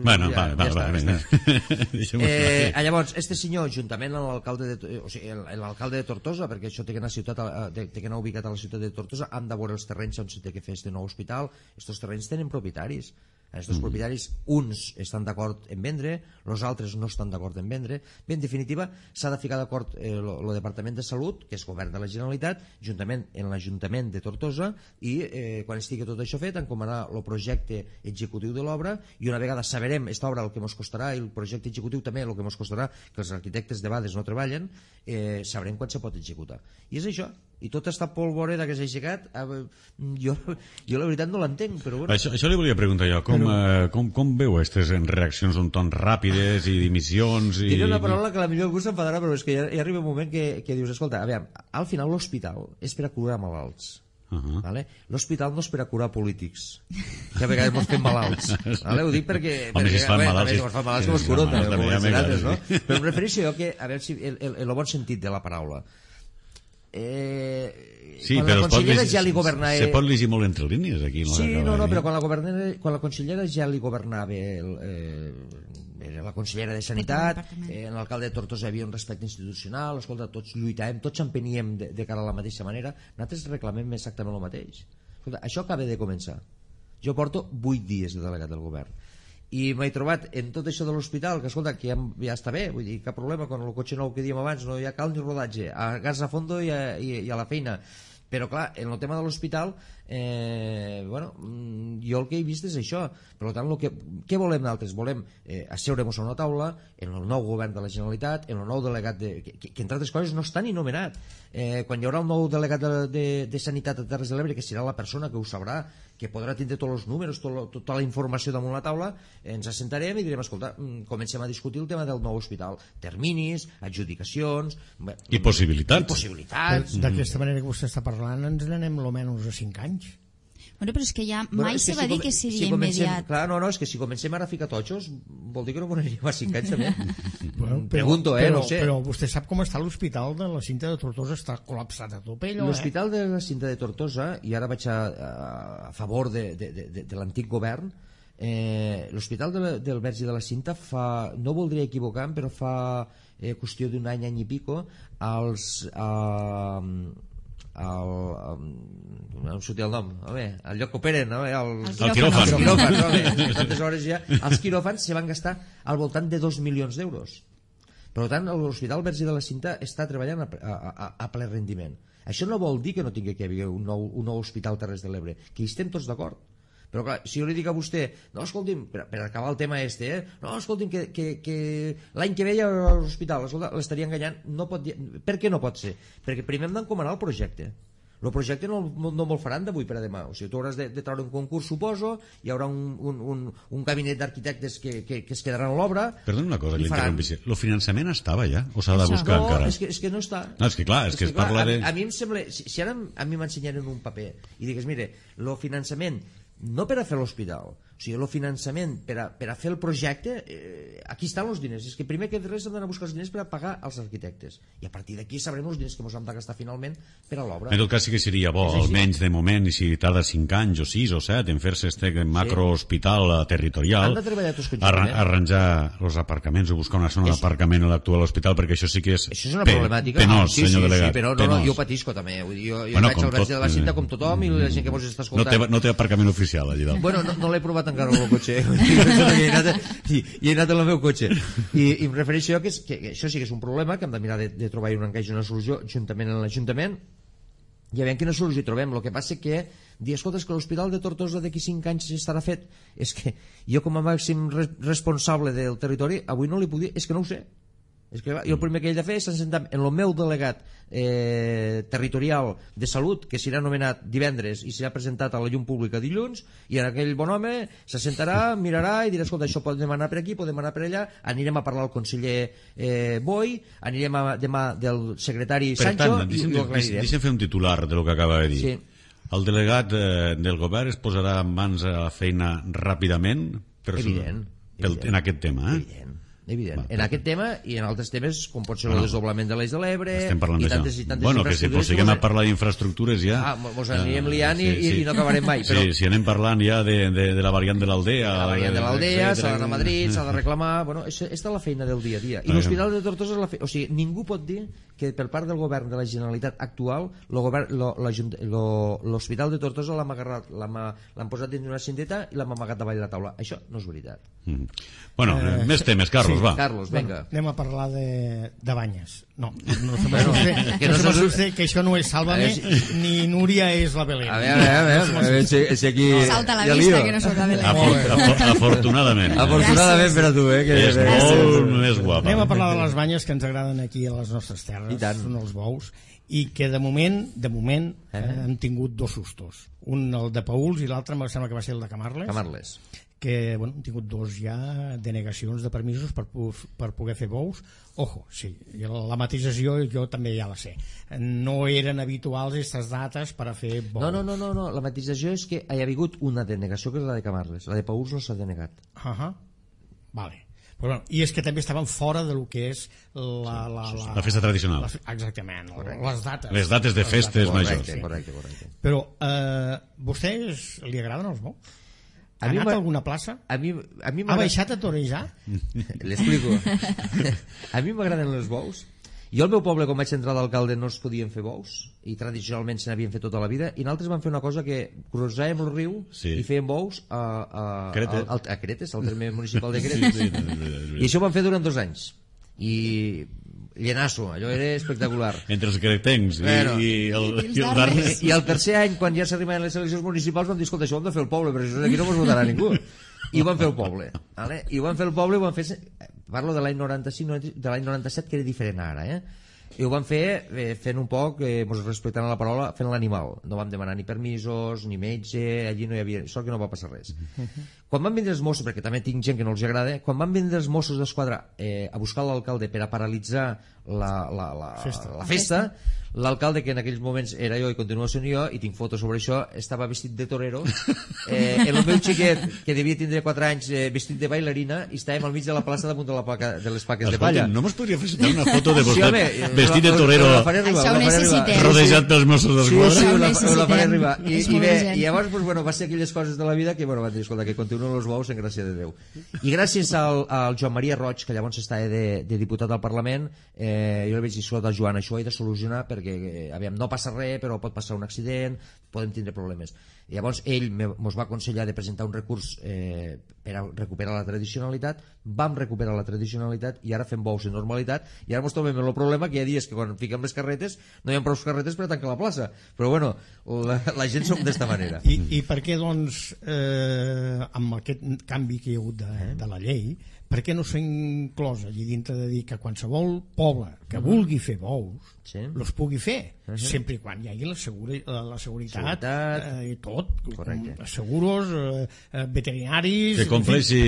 Bueno, ja, va, va, ja va, està, va, eh, llavors, este senyor, juntament amb l'alcalde de, o sigui, l'alcalde de Tortosa, perquè això té que anar, ciutat, té que anar ubicat a la ciutat de Tortosa, han de veure els terrenys on s'ha de fer este nou hospital. Estos terrenys tenen propietaris. Estos mm. propietaris, uns estan d'acord en vendre, els altres no estan d'acord en vendre. Bé, en definitiva, s'ha de ficar d'acord el eh, Departament de Salut, que és govern de la Generalitat, juntament en l'Ajuntament de Tortosa, i eh, quan estigui tot això fet, encomanar el projecte executiu de l'obra, i una vegada saberem esta obra el que ens costarà, i el projecte executiu també el que ens costarà, que els arquitectes de vegades no treballen, eh, sabrem quan se pot executar. I és això. I tota esta polvoreda que s'ha aixecat, eh, jo, jo la veritat no l'entenc, però bueno. Això, això li volia preguntar jo, com, però... eh, com, com veu aquestes reaccions un ton ràpides i dimissions? I... Diré una paraula que a la millor algú s'enfadarà, però és que ja, ja arriba un moment que, que dius, escolta, a veure, al final l'hospital és per a curar malalts. Uh -huh. Vale? L'hospital no és per a curar polítics, que a vegades mos fem malalts, vale? Ho dic perquè, home, perquè si es fan malalts, si es fan malalts que mos curen també, també, no? Però em refereixo jo que, a veure si el, el, el bon sentit de la paraula, eh, sí, quan però la consellera llegir, ja li governava... Se pot llegir molt entre línies aquí. Sí, no, no, però quan la, quan la consellera ja li governava el, eh, era la consellera de Sanitat, eh, en l'alcalde de Tortosa hi havia un respecte institucional, escolta, tots lluitàvem, tots empeníem de, de cara a la mateixa manera, nosaltres reclamem exactament el mateix. Escolta, això acaba de començar. Jo porto vuit dies de delegat del govern i m'he trobat en tot això de l'hospital que escolta, que ja, ja està bé, vull dir, cap problema con el cotxe nou que dèiem abans, no hi ha cal ni rodatge, a gas a fondo i a, i, i a la feina. Però clar, en el tema de l'hospital eh, bueno, jo el que he vist és això. Per tant, el que, què volem nosaltres? Volem eh, asseure'ns a una taula en el nou govern de la Generalitat, en el nou delegat de, que, que entre altres coses no està ni nomenat. Eh, quan hi haurà el nou delegat de, de, de Sanitat a Terres de l'Ebre, que serà la persona que ho sabrà, que podrà tindre tots els números, tot, tota la informació damunt la taula, ens assentarem i direm, escolta, comencem a discutir el tema del nou hospital, terminis, adjudicacions bé, i possibilitats, i possibilitats. D'aquesta manera que vostè està parlant ens n'anem almenys a cinc anys. Bueno, però és que ja bueno, mai és se que va si dir com, que seria si comencem, immediat. Clar, no, no, és que si comencem ara a ficar totxos vol dir que no posaríem a cinc anys també. Bueno, però, Pregunto, eh, però, no sé. Però vostè sap com està l'hospital de la Cinta de Tortosa, està col·lapsat a tope allò, l'hospital eh? de la Cinta de Tortosa, i ara vaig a, a favor de, de, de, de, de l'antic govern, eh, l'hospital de, del Verge de la Cinta fa, no voldria equivocar, però fa eh, qüestió d'un any, any i pico, als... Eh, el, no em sortia el nom, home, el lloc que operen, home, el, el quiròfan, els quiròfans, home, tantes hores ja, els quiròfans se van gastar al voltant de dos milions d'euros. Per tant, l'Hospital Verge de la Cinta està treballant a, a, a ple rendiment. Això no vol dir que no tingui que haver un nou, un nou hospital Terres de l'Ebre, que hi estem tots d'acord. Però clar, si jo li dic a vostè, no, escolti'm, per, per acabar el tema este, eh, no, escolti'm, que, que, que l'any que ve hi ha l'hospital, l'estaria enganyant, no pot dir, per què no pot ser? Perquè primer hem d'encomanar el projecte. El projecte no, no, no me'l faran d'avui per a demà, o sigui, tu hauràs de, de treure un concurs, suposo, hi haurà un, un, un, un gabinet d'arquitectes que, que, que es quedaran a l'obra. Perdona una cosa, l'interrompissi. El finançament estava ja, o s'ha de buscar no, encara? No, és que, és que no està. No, és que clar, és, és que, que es parla clar, de... A, a mi em sembla, si, si ara a mi m'ensenyaren un paper i digués, mire, el finançament no per a fer l'hospital, o sigui, el finançament per a, per a fer el projecte, eh, aquí estan els diners. És que primer que res hem d'anar a buscar els diners per a pagar els arquitectes, i a partir d'aquí sabrem els diners que ens hem de gastar finalment per a l'obra. En tot cas sí que seria bo, almenys de moment, i si tarda cinc anys o sis o set en fer-se este macrohospital sí. territorial, han de treballar tots conjuntament, arra arranjar els aparcaments o buscar una zona d'aparcament a l'actual hospital, perquè això sí que és, això és una problemàtica penós, sí, senyor sí, delegat. Sí, però no, no, jo patisco també. Vull dir, jo jo bueno, vaig al Verge de la Cinta com tothom i la gent que mos està escoltant. No té, no té aparcament oficial allà dalt. Bueno, no, no l'he provat encara el meu cotxe, he anat, i, i he anat en el meu cotxe. I, i em refereixo jo que, és, que, que això sí que és un problema, que hem de mirar de, de trobar un encaix i una solució juntament amb l'Ajuntament, i a veure quina solució trobem. El que passa que dir, escolta, és que l'Hospital de Tortosa d'aquí cinc anys estarà fet. És que jo com a màxim responsable del territori avui no li puc dir, és que no ho sé. És que jo el primer que he de fer és sentar en el meu delegat eh, territorial de salut, que serà nomenat divendres i serà presentat a la llum pública dilluns, i en aquell bon home s'assentarà, mirarà i dirà, escolta, això podem anar per aquí, podem anar per allà, anirem a parlar al conseller eh, Boi, anirem a, demà del secretari per Sancho tant, i, i ho aclarirem. Deixa'm fer un titular de lo que acaba de dir. Sí. El delegat eh, del govern es posarà en mans a la feina ràpidament per evident, pel, evident, en aquest tema, eh? evident. Evident. Va, en aquest tema i en altres temes com pot ser el bueno, desdoblament de l'Eix de l'Ebre estem parlant i tantes i tantes bueno, que si posiguem a parlar d'infraestructures ja ah, mos anirem liant sí, i, sí. i no acabarem mai però... sí, si anem parlant ja de, de, de la variant de l'Aldea la variant de l'Aldea, s'ha d'anar a Madrid s'ha de reclamar, bueno, aquesta és la feina del dia a dia i l'Hospital de Tortosa és la feina, o sigui, ningú pot dir que per part del govern de la Generalitat actual l'Hospital de Tortosa l'han posat dins d'una cindeta i l'han amagat davall de la taula, això no és veritat. mm. Bueno, eh, més temes, Carlos, sí, va Carlos, venga. Bueno, anem a parlar de, de banyes. No, no se m'assuste, que, no no se que això no és Sálvame, si... ni Núria és la Belén. A veure, a veure, a veure si, si aquí... No, salta a la vista que no soc la Belén. Afort, afort, afortunadament. Afortunadament per a tu, eh? Que és molt més guapa. Anem a parlar de les banyes que ens agraden aquí a les nostres terres, són els bous, i que de moment, de moment, eh? Eh, hem tingut dos sustos. Un el de Pauls i l'altre em sembla que va ser el de Camarles. Camarles. Que bueno, hem tingut dos ja denegacions de permisos per, per poder fer bous. Ojo, sí, la matització jo també ja la sé. No eren habituals aquestes dates per a fer bous. No, no, no, no, no. La matització és que hi ha hagut una denegació que és la de Camarles. La de Pauls no s'ha denegat. Uh -huh. Vale. Però, bueno, i és que també estaven fora de lo que és la, la, la, la festa tradicional. La, exactament, correcte. Les dates. Les dates de festes majors. Correcte, correcte, correcte. Però, eh, vostès li agraden els bous? Ha anat a alguna plaça? A mi, a mi ha baixat a torejar? L'explico. A mi m'agraden els bous. Jo al meu poble, quan vaig entrar d'alcalde, no es podien fer bous, i tradicionalment se n'havien fet tota la vida, i nosaltres vam fer una cosa que cruzàvem el riu sí. i fèiem bous a, a, Cretes. a, a Cretes, al terme municipal de Cretes. Sí, sí, sí, sí. I això ho vam fer durant dos anys. I llenasso, allò era espectacular. Entre els cretencs bueno, i, i el, i, i el darnes. I el tercer any, quan ja s'arribaven les eleccions municipals, vam dir, escolta, això ho hem de fer el poble, però això aquí no mos votarà ningú. I ho vam fer el poble. Vale? I ho vam fer el poble, ho vam fer... Parlo de l'any noranta-cinc, de l'any noranta-set, que era diferent ara, eh? I ho vam fer eh, fent un poc, eh, respectant la paraula, fent l'animal. No vam demanar ni permisos, ni metge, allí no hi havia... Sort que no va passar res. Quan van vindre els Mossos, perquè també tinc gent que no els agrada, quan van vindre els Mossos d'Esquadra eh, a buscar l'alcalde per a paralitzar la, la, la, festa. la festa, l'alcalde, que en aquells moments era jo i continua sent jo, i tinc fotos sobre això, estava vestit de torero, eh, el meu xiquet, que devia tindre quatre anys, eh, vestit de bailarina, i estàvem al mig de la plaça damunt de, la placa, de les paques de palla. No mos podria fer una foto de vostè sí, home, vestit de torero això ho necessitem, rodejat pels Mossos d'Esquadra? Sí, sí, ho la faré arribar. I, i, bé, i llavors pues, bueno, va ser aquelles coses de la vida que bueno, van dir, escolta, que continuen els bous en gràcia de Déu. I gràcies al, al Joan Maria Roig, que llavors estava de, de diputat al Parlament, eh, jo li vaig dir, escolta, Joan, això ho he de solucionar perquè, eh, aviam, no passa res, però pot passar un accident, podem tindre problemes. I llavors ell ens va aconsellar de presentar un recurs eh, per a recuperar la tradicionalitat, vam recuperar la tradicionalitat i ara fem bous en normalitat, i ara ens trobem el problema que hi ha dies que quan fiquem les carretes no hi ha prou carretes per a tancar la plaça, però bueno, la, la gent som d'esta manera. I, i per què doncs eh, amb aquest canvi que hi ha hagut de, de la llei, per què no s'ha inclòs allí dintre de dir que qualsevol poble que vulgui fer bous sí. los pugui fer, uh -huh. sempre i quan hi hagi la, segura, la seguretat, seguretat. Eh, i tot, correcte. Seguros, eh, veterinaris... Que compleixi,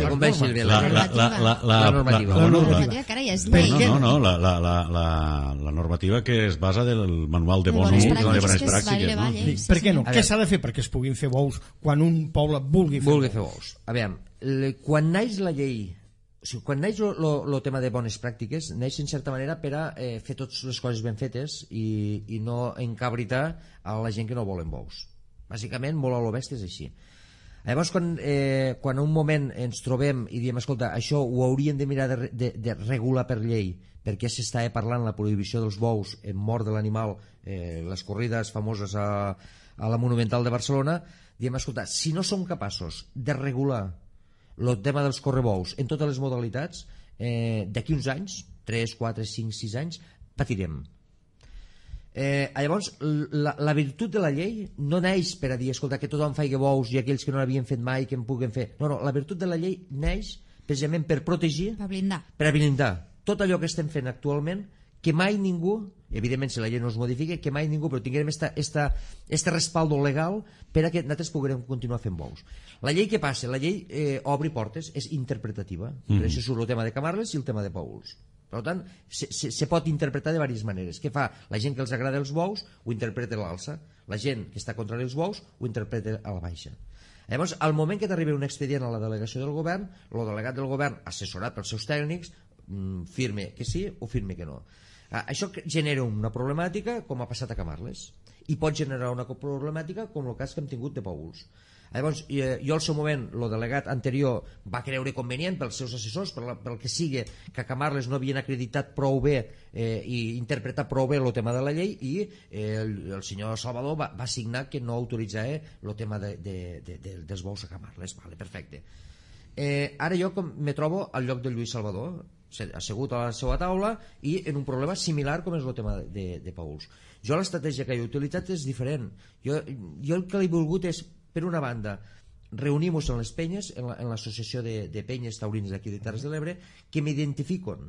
que compleixi la, la, la, la, la, la normativa. La, La la, normativa, carai, és llei. no, no, no, la, la, la, la, la normativa que es basa del manual de bons bones usos, de pràctiques, bones que es pràctiques. va No? llei. Sí, per què no? A Què veure. s'ha de fer perquè es puguin fer bous quan un poble vulgui fer vulgui bous? fer bous. A veure, le, quan naix la llei, o sigui, quan naix el tema de bones pràctiques, naix en certa manera per a eh, fer totes les coses ben fetes i, i no encabritar a la gent que no volen bous. Bàsicament, molt a lo bèstia és així. Llavors, quan, eh, quan un moment ens trobem i diem, escolta, això ho hauríem de mirar de, de, de regular per llei, perquè s'estava parlant la prohibició dels bous en mort de l'animal, eh, les corrides famoses a, a la Monumental de Barcelona, diem, escolta, si no som capaços de regular el tema dels correbous en totes les modalitats, eh, d'aquí uns anys, tres, quatre, cinc, sis anys, patirem. Eh, llavors, la, la virtut de la llei no neix per a dir, escolta, que tothom faci bous i aquells que no l'havien fet mai que en puguen fer. No, no, la virtut de la llei neix precisament per protegir, Per blindar. per a blindar tot allò que estem fent actualment, que mai ningú, evidentment si la llei no es modifica, que mai ningú, però tinguem esta, esta, este respaldo legal per a que nosaltres puguem continuar fent bous. La llei què passa? La llei eh, obri portes, és interpretativa. Mm. Per això surt el tema de Camarles i el tema de Pauls. Per tant, se, se, se pot interpretar de diverses maneres. Què fa? La gent que els agrada els bous ho interpreta a l'alça. La gent que està contra els bous ho interpreta a la baixa. Llavors, al moment que t'arriba un expedient a la delegació del govern, el delegat del govern, assessorat pels seus tècnics, firme que sí o firme que no. Això genera una problemàtica com ha passat a Camarles i pot generar una problemàtica com el cas que hem tingut de Pauls. Llavors, jo al seu moment, el delegat anterior va creure convenient pels seus assessors, per la, pel que sigui, que a Camarles no havien acreditat prou bé eh, i interpretat prou bé el tema de la llei i eh, el, el senyor Salvador va, va signar que no autoritzava el tema de, de, de, de, dels bous a Camarles. Vale, perfecte. Eh, ara jo com me trobo al lloc de Lluís Salvador, assegut a la seva taula i en un problema similar com és el tema de, de Pauls. Jo l'estratègia que he utilitzat és diferent. Jo, jo el que he volgut és, per una banda, reunir-nos en les penyes, en l'associació la, de, de penyes taurins d'aquí de Terres de l'Ebre, que m'identifiquen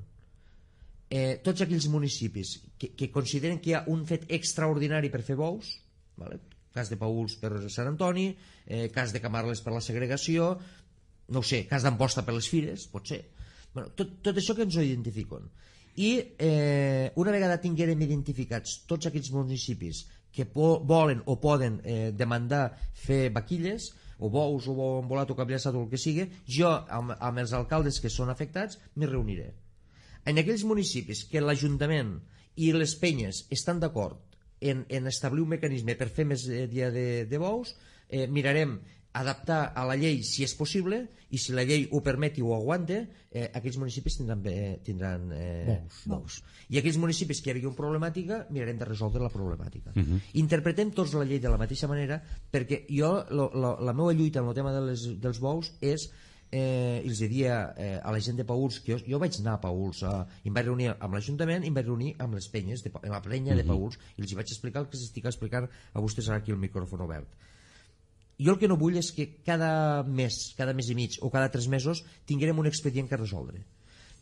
eh, tots aquells municipis que, que consideren que hi ha un fet extraordinari per fer bous, vale? Cas de Pauls per Sant Antoni, eh, cas de Camarles per la segregació, no ho sé, cas d'Amposta per les fires, pot ser. Bueno, tot, tot això que ens ho identifiquen. I eh, una vegada tinguérem identificats tots aquells municipis que po volen o poden eh, demandar fer vaquilles, o bous, o bou embolat, o capllaçat, o el que sigui, jo amb, amb els alcaldes que són afectats m'hi reuniré. En aquells municipis que l'Ajuntament i les penyes estan d'acord en, en establir un mecanisme per fer més eh, dia de, de bous, eh, mirarem adaptar a la llei si és possible, i si la llei ho permet i ho aguanta, eh, aquells municipis tindran, eh, tindran eh, bous. bous. I aquells municipis que hi havia una problemàtica, mirarem de resoldre la problemàtica. Uh -huh. Interpretem tots la llei de la mateixa manera, perquè jo, lo, lo, la meva lluita en el tema de les, dels bous és, eh, els diria eh, a la gent de Paüls, que jo, jo vaig anar a Paüls, eh, i em vaig reunir amb l'Ajuntament i em vaig reunir amb les penyes, de, amb la penya uh -huh. de Paüls, i els hi vaig explicar el que s'estic explicant a vostès ara aquí el micròfon obert. Jo el que no vull és que cada mes, cada mes i mig o cada tres mesos tinguem un expedient que resoldre,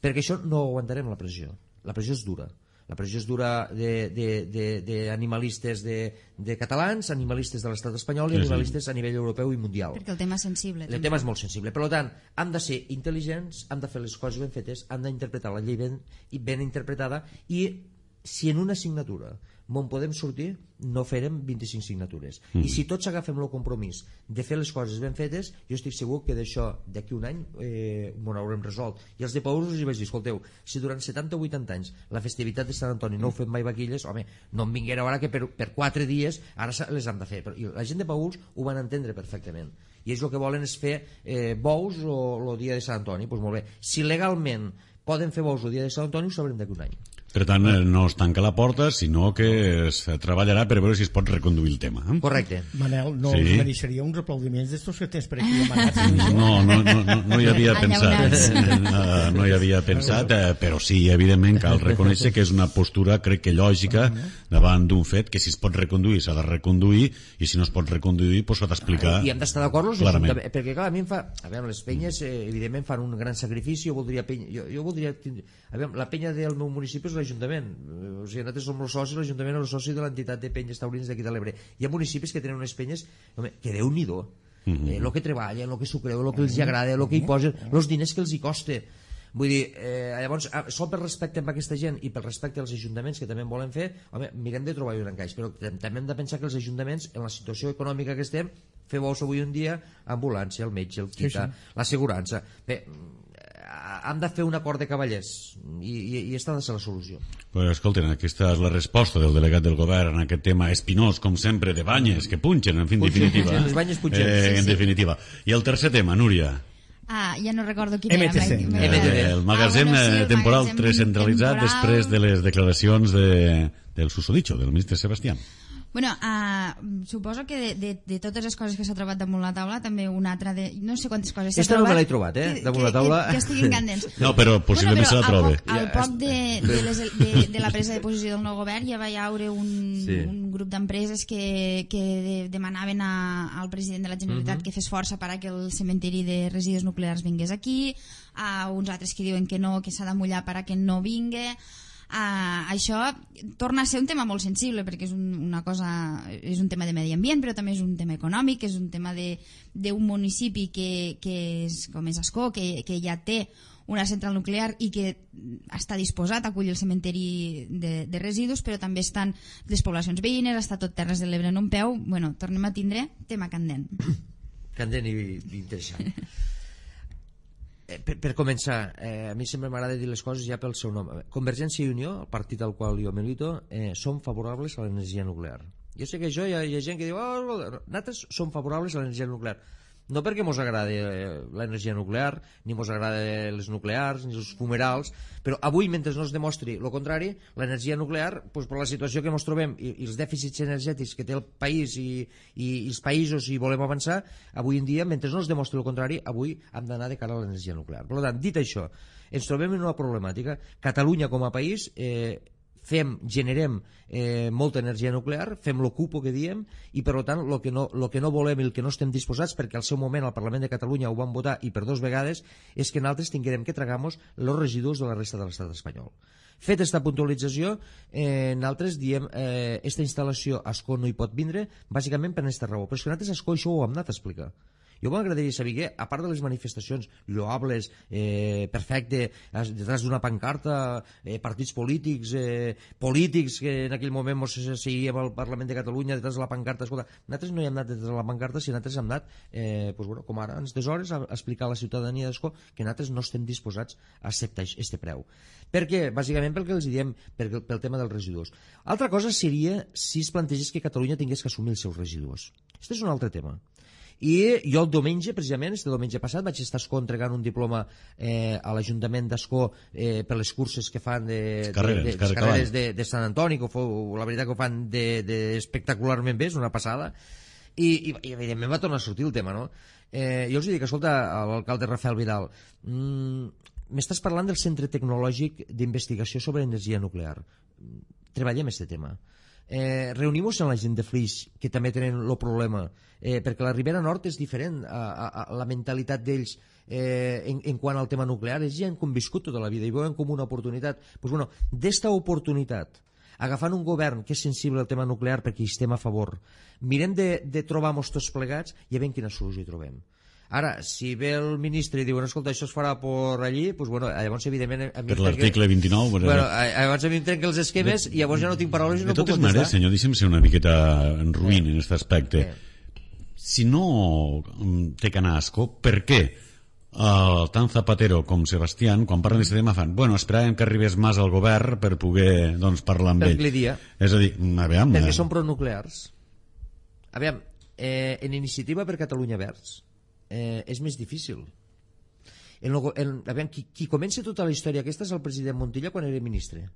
perquè això no aguantarem la pressió. La pressió és dura. La pressió és dura d'animalistes de, de, de, de catalans, animalistes de l'estat espanyol i animalistes a nivell europeu i mundial. Perquè el tema és sensible. El també. tema és molt sensible. Per tant, hem de ser intel·ligents, hem de fer les coses ben fetes, hem d'interpretar la llei ben, ben interpretada, i si en una assignatura on podem sortir, no farem vint-i-cinc signatures. Mm. I si tots agafem el compromís de fer les coses ben fetes, jo estic segur que d'això, d'aquí un any, eh, m'ho haurem resolt. I els de Paüls us hi vaig dir, escolteu, si durant setanta o vuitanta anys la festivitat de Sant Antoni no heu fet mai vaquilles, home, no em vinguera ara que per, per quatre dies ara les hem de fer. Però, i la gent de Paüls ho van entendre perfectament. I ells el que volen és fer eh, bous o el dia de Sant Antoni. Doncs molt bé. Si legalment poden fer bous el dia de Sant Antoni, ho sabrem d'aquí un any. Per tant, no es tanca la porta, sinó que es treballarà per veure si es pot reconduir el tema. Correcte. Manel, no sí. us mereixeria uns aplaudiments d'estos que tens per aquí demanats? No, no, no, no, no hi havia pensat. No, no hi havia pensat, però sí, evidentment, cal reconèixer que és una postura, crec que lògica, davant d'un fet, que si es pot reconduir s'ha de reconduir, i si no es pot reconduir, doncs s'ha d'explicar. I hem d'estar d'acord, perquè clar, a mi em fa... A veure, les penyes, eh, evidentment, fan un gran sacrifici, jo voldria... Penya, jo, jo voldria a veure, la penya del meu municipi és l'Ajuntament, o sigui, nosaltres som els socis, l'Ajuntament és el soci de l'entitat de penyes taurines d'aquí de l'Ebre. Hi ha municipis que tenen unes penyes, home, que Déu-n'hi-do, el mm -hmm. eh, que treballen, el que s'ho creu, el que els agrada, el que hi posen, els diners que els hi costa. Vull dir, eh, llavors, sol per respecte amb aquesta gent i pel respecte als ajuntaments que també en volen fer, home, mirem de trobar un encaix, però també hem de pensar que els ajuntaments, en la situació econòmica que estem, fer bous avui un dia, ambulància, el metge, el quita, sí, sí. l'assegurança. Bé, hem de fer un acord de cavallers i, i, i aquesta ha de ser la solució. Pues, escolten, aquesta és la resposta del delegat del govern en aquest tema espinós, com sempre, de banyes que punxen, en fi, en definitiva. Les banyes punxen. Eh, sí, en sí. definitiva. I el tercer tema, Núria. Ah, ja no recordo quin M T C. era. Eh, el magatzem ah, bueno, sí, el temporal magatzem recentralitzat temporal... després de les declaracions de, del susodicho, del ministre Sebastián. Bueno, uh, suposo que de, de, de totes les coses que s'ha trobat damunt la taula, també una altra de... No sé quantes coses s'ha Esta trobat... no me l'he trobat, eh? Damunt que, la taula... Que, que estiguin candents. No, però possiblement bueno, però se la trobe. Al poc, al poc de, de, les, de, de la presa de posició del nou govern ja va haure un, sí. un grup d'empreses que, que de, demanaven a, al president de la Generalitat uh -huh. que fes força per a que el cementiri de residus nuclears vingués aquí, a uns altres que diuen que no, que s'ha de mullar per a que no vingui. Uh, això torna a ser un tema molt sensible perquè és un, una cosa, és un tema de medi ambient, però també és un tema econòmic, és un tema d'un municipi que, que és, com és Ascó, que, que ja té una central nuclear i que està disposat a acollir el cementeri de, de residus, però també estan les poblacions veïnes, està tot Terres de l'Ebre en un peu. Bueno, tornem a tindre tema candent. Candent i, i interessant. Per, per començar, eh, a mi sempre m'agrada dir les coses ja pel seu nom. Convergència i Unió, el partit al qual jo milito, eh, som favorables a l'energia nuclear. Jo sé que això hi ha, hi ha gent que diu oh, nosaltres som favorables a l'energia nuclear. No perquè mos agradi l'energia nuclear, ni mos agradi les nuclears, ni els fumerals, però avui, mentre no es demostri el contrari, l'energia nuclear, doncs, per la situació que ens trobem i, i els dèficits energètics que té el país i, i, i els països i volem avançar, avui en dia, mentre no es demostri el contrari, avui hem d'anar de cara a l'energia nuclear. Per tant, dit això, ens trobem en una problemàtica. Catalunya com a país... Eh, fem, generem eh, molta energia nuclear, fem lo cupo que diem i per tant el que, no, lo que no volem i el que no estem disposats, perquè al seu moment al Parlament de Catalunya ho van votar i per dos vegades, és que nosaltres tinguem que tragar-nos els residus de la resta de l'estat espanyol. Fet aquesta puntualització, eh, nosaltres diem eh, esta instal·lació a Ascó no hi pot vindre bàsicament per aquesta raó, però és que nosaltres a Ascó això ho hem anat a explicar. Jo m'agradaria saber que, a part de les manifestacions lloables, eh, perfecte, detrás d'una pancarta, eh, partits polítics, eh, polítics que en aquell moment ens seguíem al Parlament de Catalunya detrás de la pancarta, escolta, nosaltres no hi hem anat detrás de la pancarta, si nosaltres hem anat, eh, pues bueno, com ara, ens hores a explicar a la ciutadania d'Ascó que nosaltres no estem disposats a acceptar aquest preu. Per què? Bàsicament perquè els diem pel, pel tema dels residus. Altra cosa seria si es plantegés que Catalunya tingués que assumir els seus residus. Aquest és un altre tema. I jo el diumenge, precisament, este diumenge passat, vaig estar a Ascó entregant un diploma eh, a l'Ajuntament d'Ascó eh, per les curses que fan de, carreres, de, de, de, carreres de, de Sant Antoni, que fou, la veritat que ho fan de, de espectacularment bé, és una passada. I, i, i evidentment va tornar a sortir el tema, no? Eh, jo els dic, escolta, a l'alcalde Rafael Vidal, mm, m'estàs parlant del Centre Tecnològic d'Investigació sobre Energia Nuclear. Treballem aquest tema. Eh, Reunim-nos amb la gent de Flix, que també tenen el problema, eh, perquè la Ribera Nord és diferent a, a, a la mentalitat d'ells eh, en, en quant al tema nuclear. És gent que han viscut tota la vida i veuen com una oportunitat. Pues bueno, d'esta oportunitat, agafant un govern que és sensible al tema nuclear perquè hi estem a favor, mirem de, de trobar-nos tots plegats i a veure quina solució hi trobem. Ara, si ve el ministre i diu, escolta, això es farà per allí, doncs, bueno, llavors, evidentment... Per l'article vint-i-nou... Bueno, llavors a mi em trenquen els esquemes i llavors ja no tinc paraules i no puc contestar. De totes maneres, senyor, deixem ser una miqueta en ruïn en aquest aspecte. Si no té que anar a Ascó, per què Uh, tant Zapatero com Sebastián, quan parlen d'aquest tema, fan, bueno, esperàvem que arribés Mas al govern per poder, doncs, parlar amb ell. Perquè li dia. És a dir, aviam... Perquè són pronuclears. Aviam, eh, en Iniciativa per Catalunya Verds eh, és més difícil. En lo, en, aviam, qui, qui comença tota la història aquesta és el president Montilla quan era ministre.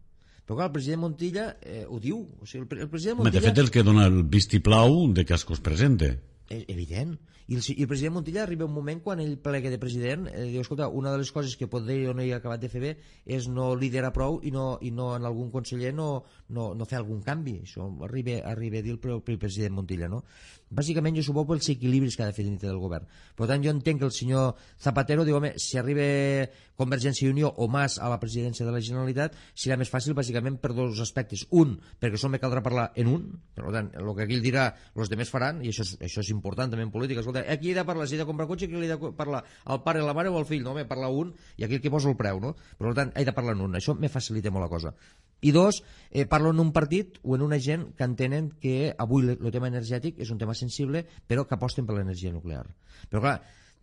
Però clar, el president Montilla eh, ho diu. O sigui, el, el president Montilla... De fet, el que dona el vistiplau de que Ascó es presente. Evident. I el, i el president Montilla arriba un moment quan ell plega de president, eh, diu, escolta, una de les coses que podria o no hi ha acabat de fer bé és no liderar prou i no, i no en algun conseller no, no, no fer algun canvi. Això arriba, arriba a dir el, el president Montilla, no? Bàsicament jo suposo pels equilibris que ha de fer dintre del govern. Per tant, jo entenc que el senyor Zapatero diu, home, si arriba Convergència i Unió o Mas a la presidència de la Generalitat, serà més fàcil bàsicament per dos aspectes. Un, perquè sols me caldrà parlar en un, per tant, el que aquí ell dirà, els demés faran, i això és, això és important també en política. Escolta, aquí he de parlar, si he de comprar cotxe, aquí he de parlar al pare, la mare o al fill, no? Home, parla un, i aquí el que posa el preu, no? Per tant, he de parlar en un. Això me facilita molt la cosa. I dos, eh, parlo en un partit o en una gent que entenen que avui el tema energètic és un tema sensible, però que aposten per l'energia nuclear. Però clar,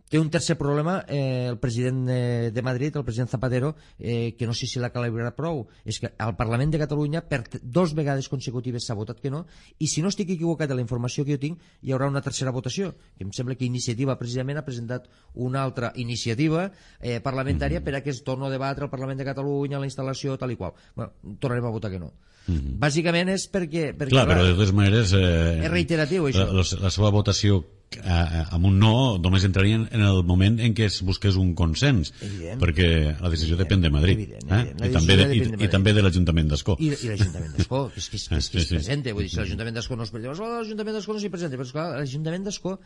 té un tercer problema eh, el president eh, de Madrid, el president Zapatero, eh, que no sé si l'ha calibrat prou, és que al Parlament de Catalunya per dos vegades consecutives s'ha votat que no, i si no estic equivocat de la informació que jo tinc, hi haurà una tercera votació, que em sembla que Iniciativa precisament ha presentat una altra iniciativa eh, parlamentària mm-hmm. per a que es torni a debatre al Parlament de Catalunya, la instal·lació, tal i qual. Bueno, tornarem a votar que no. Mm-hmm. Bàsicament és perquè... perquè clar, clar, però de totes maneres... Eh, és reiteratiu, això. La, la, la seva votació eh, amb un no només entrarien en el moment en què es busqués un consens, evident, perquè la decisió evident, depèn de Madrid, evident, evident. Eh? I, també de, i, de i també de l'Ajuntament d'Ascó. I, i l'Ajuntament d'Ascó, que és que, és, que, és, que es presenta, vull dir, si l'Ajuntament d'Ascó no es presenta, oh, l'Ajuntament d'Ascó no s'hi presenta, però esclar, l'Ajuntament d'Ascó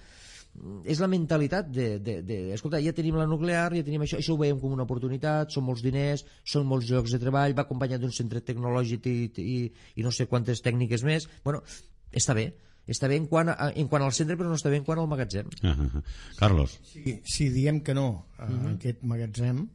és la mentalitat de, de, de, escolta, ja tenim la nuclear, ja tenim això, això ho veiem com una oportunitat, són molts diners, són molts llocs de treball, va acompanyat d'un centre tecnològic i, i, i no sé quantes tècniques més. Bueno, està bé, està bé en quant, a, en quant al centre, però no està bé en quant al magatzem. Uh -huh. Carlos. Si, si diem que no a uh -huh. aquest magatzem,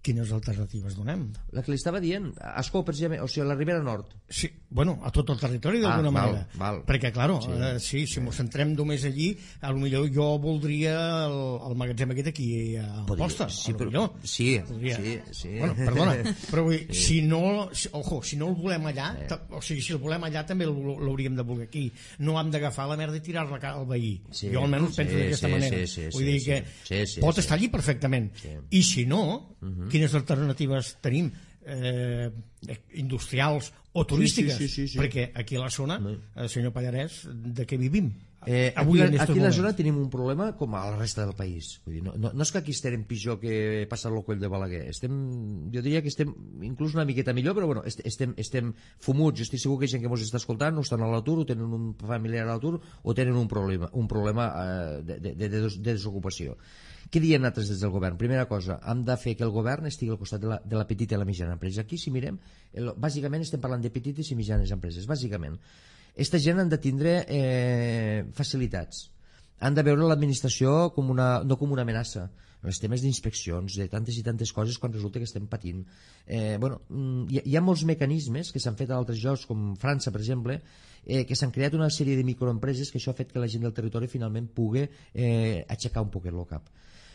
quines alternatives donem? La que li estava dient, Ascó, precisament, o sigui, la Ribera Nord. Sí, bueno, a tot el territori d'alguna ah, manera. Val. Perquè, claro, sí, eh, sí si sí. M'ho centrem només allí, a lo millor jo voldria el, el magatzem aquest aquí a Posta. Sí, però, sí, podria. sí, sí. Bueno, perdona, però vull dir, sí. si no, si, ojo, si no el volem allà, sí. o sigui, si el volem allà també l'hauríem de voler aquí. No hem d'agafar la merda i tirar-la al veí. Sí. Jo almenys penso sí, d'aquesta sí, manera. Sí, sí, vull dir sí, que sí, sí, pot sí, estar allí perfectament. Sí. I si no, uh-huh. quines alternatives tenim? Eh, industrials o turístiques, sí, sí, sí, sí, sí. perquè aquí a la zona, eh, senyor Pallarès, de què vivim? Eh, Avui aquí aquí a la zona tenim un problema com a la resta del país. Vull dir, no, no, no és que aquí estem pitjor que passar el coll de Balaguer, estem, jo diria que estem inclús una miqueta millor, però bueno, estem, estem fumuts. Jo estic segur que hi ha gent que ens està escoltant no estan a l'atur, o tenen un familiar a l'atur, o tenen un problema, un problema eh, de, de, de, de desocupació. Què diem nosaltres des del govern? Primera cosa, hem de fer que el govern estigui al costat de la, de la petita i la mitjana empresa. Aquí, si mirem, el, bàsicament estem parlant de petites i mitjanes empreses, bàsicament. Aquesta gent han de tindre eh, facilitats. Han de veure l'administració com una, no com una amenaça. Els temes d'inspeccions, de tantes i tantes coses quan resulta que estem patint. Eh, bueno, hi, hi ha molts mecanismes que s'han fet a altres llocs, com França, per exemple, eh, que s'han creat una sèrie de microempreses que això ha fet que la gent del territori finalment pugui eh, aixecar un poquet el cap.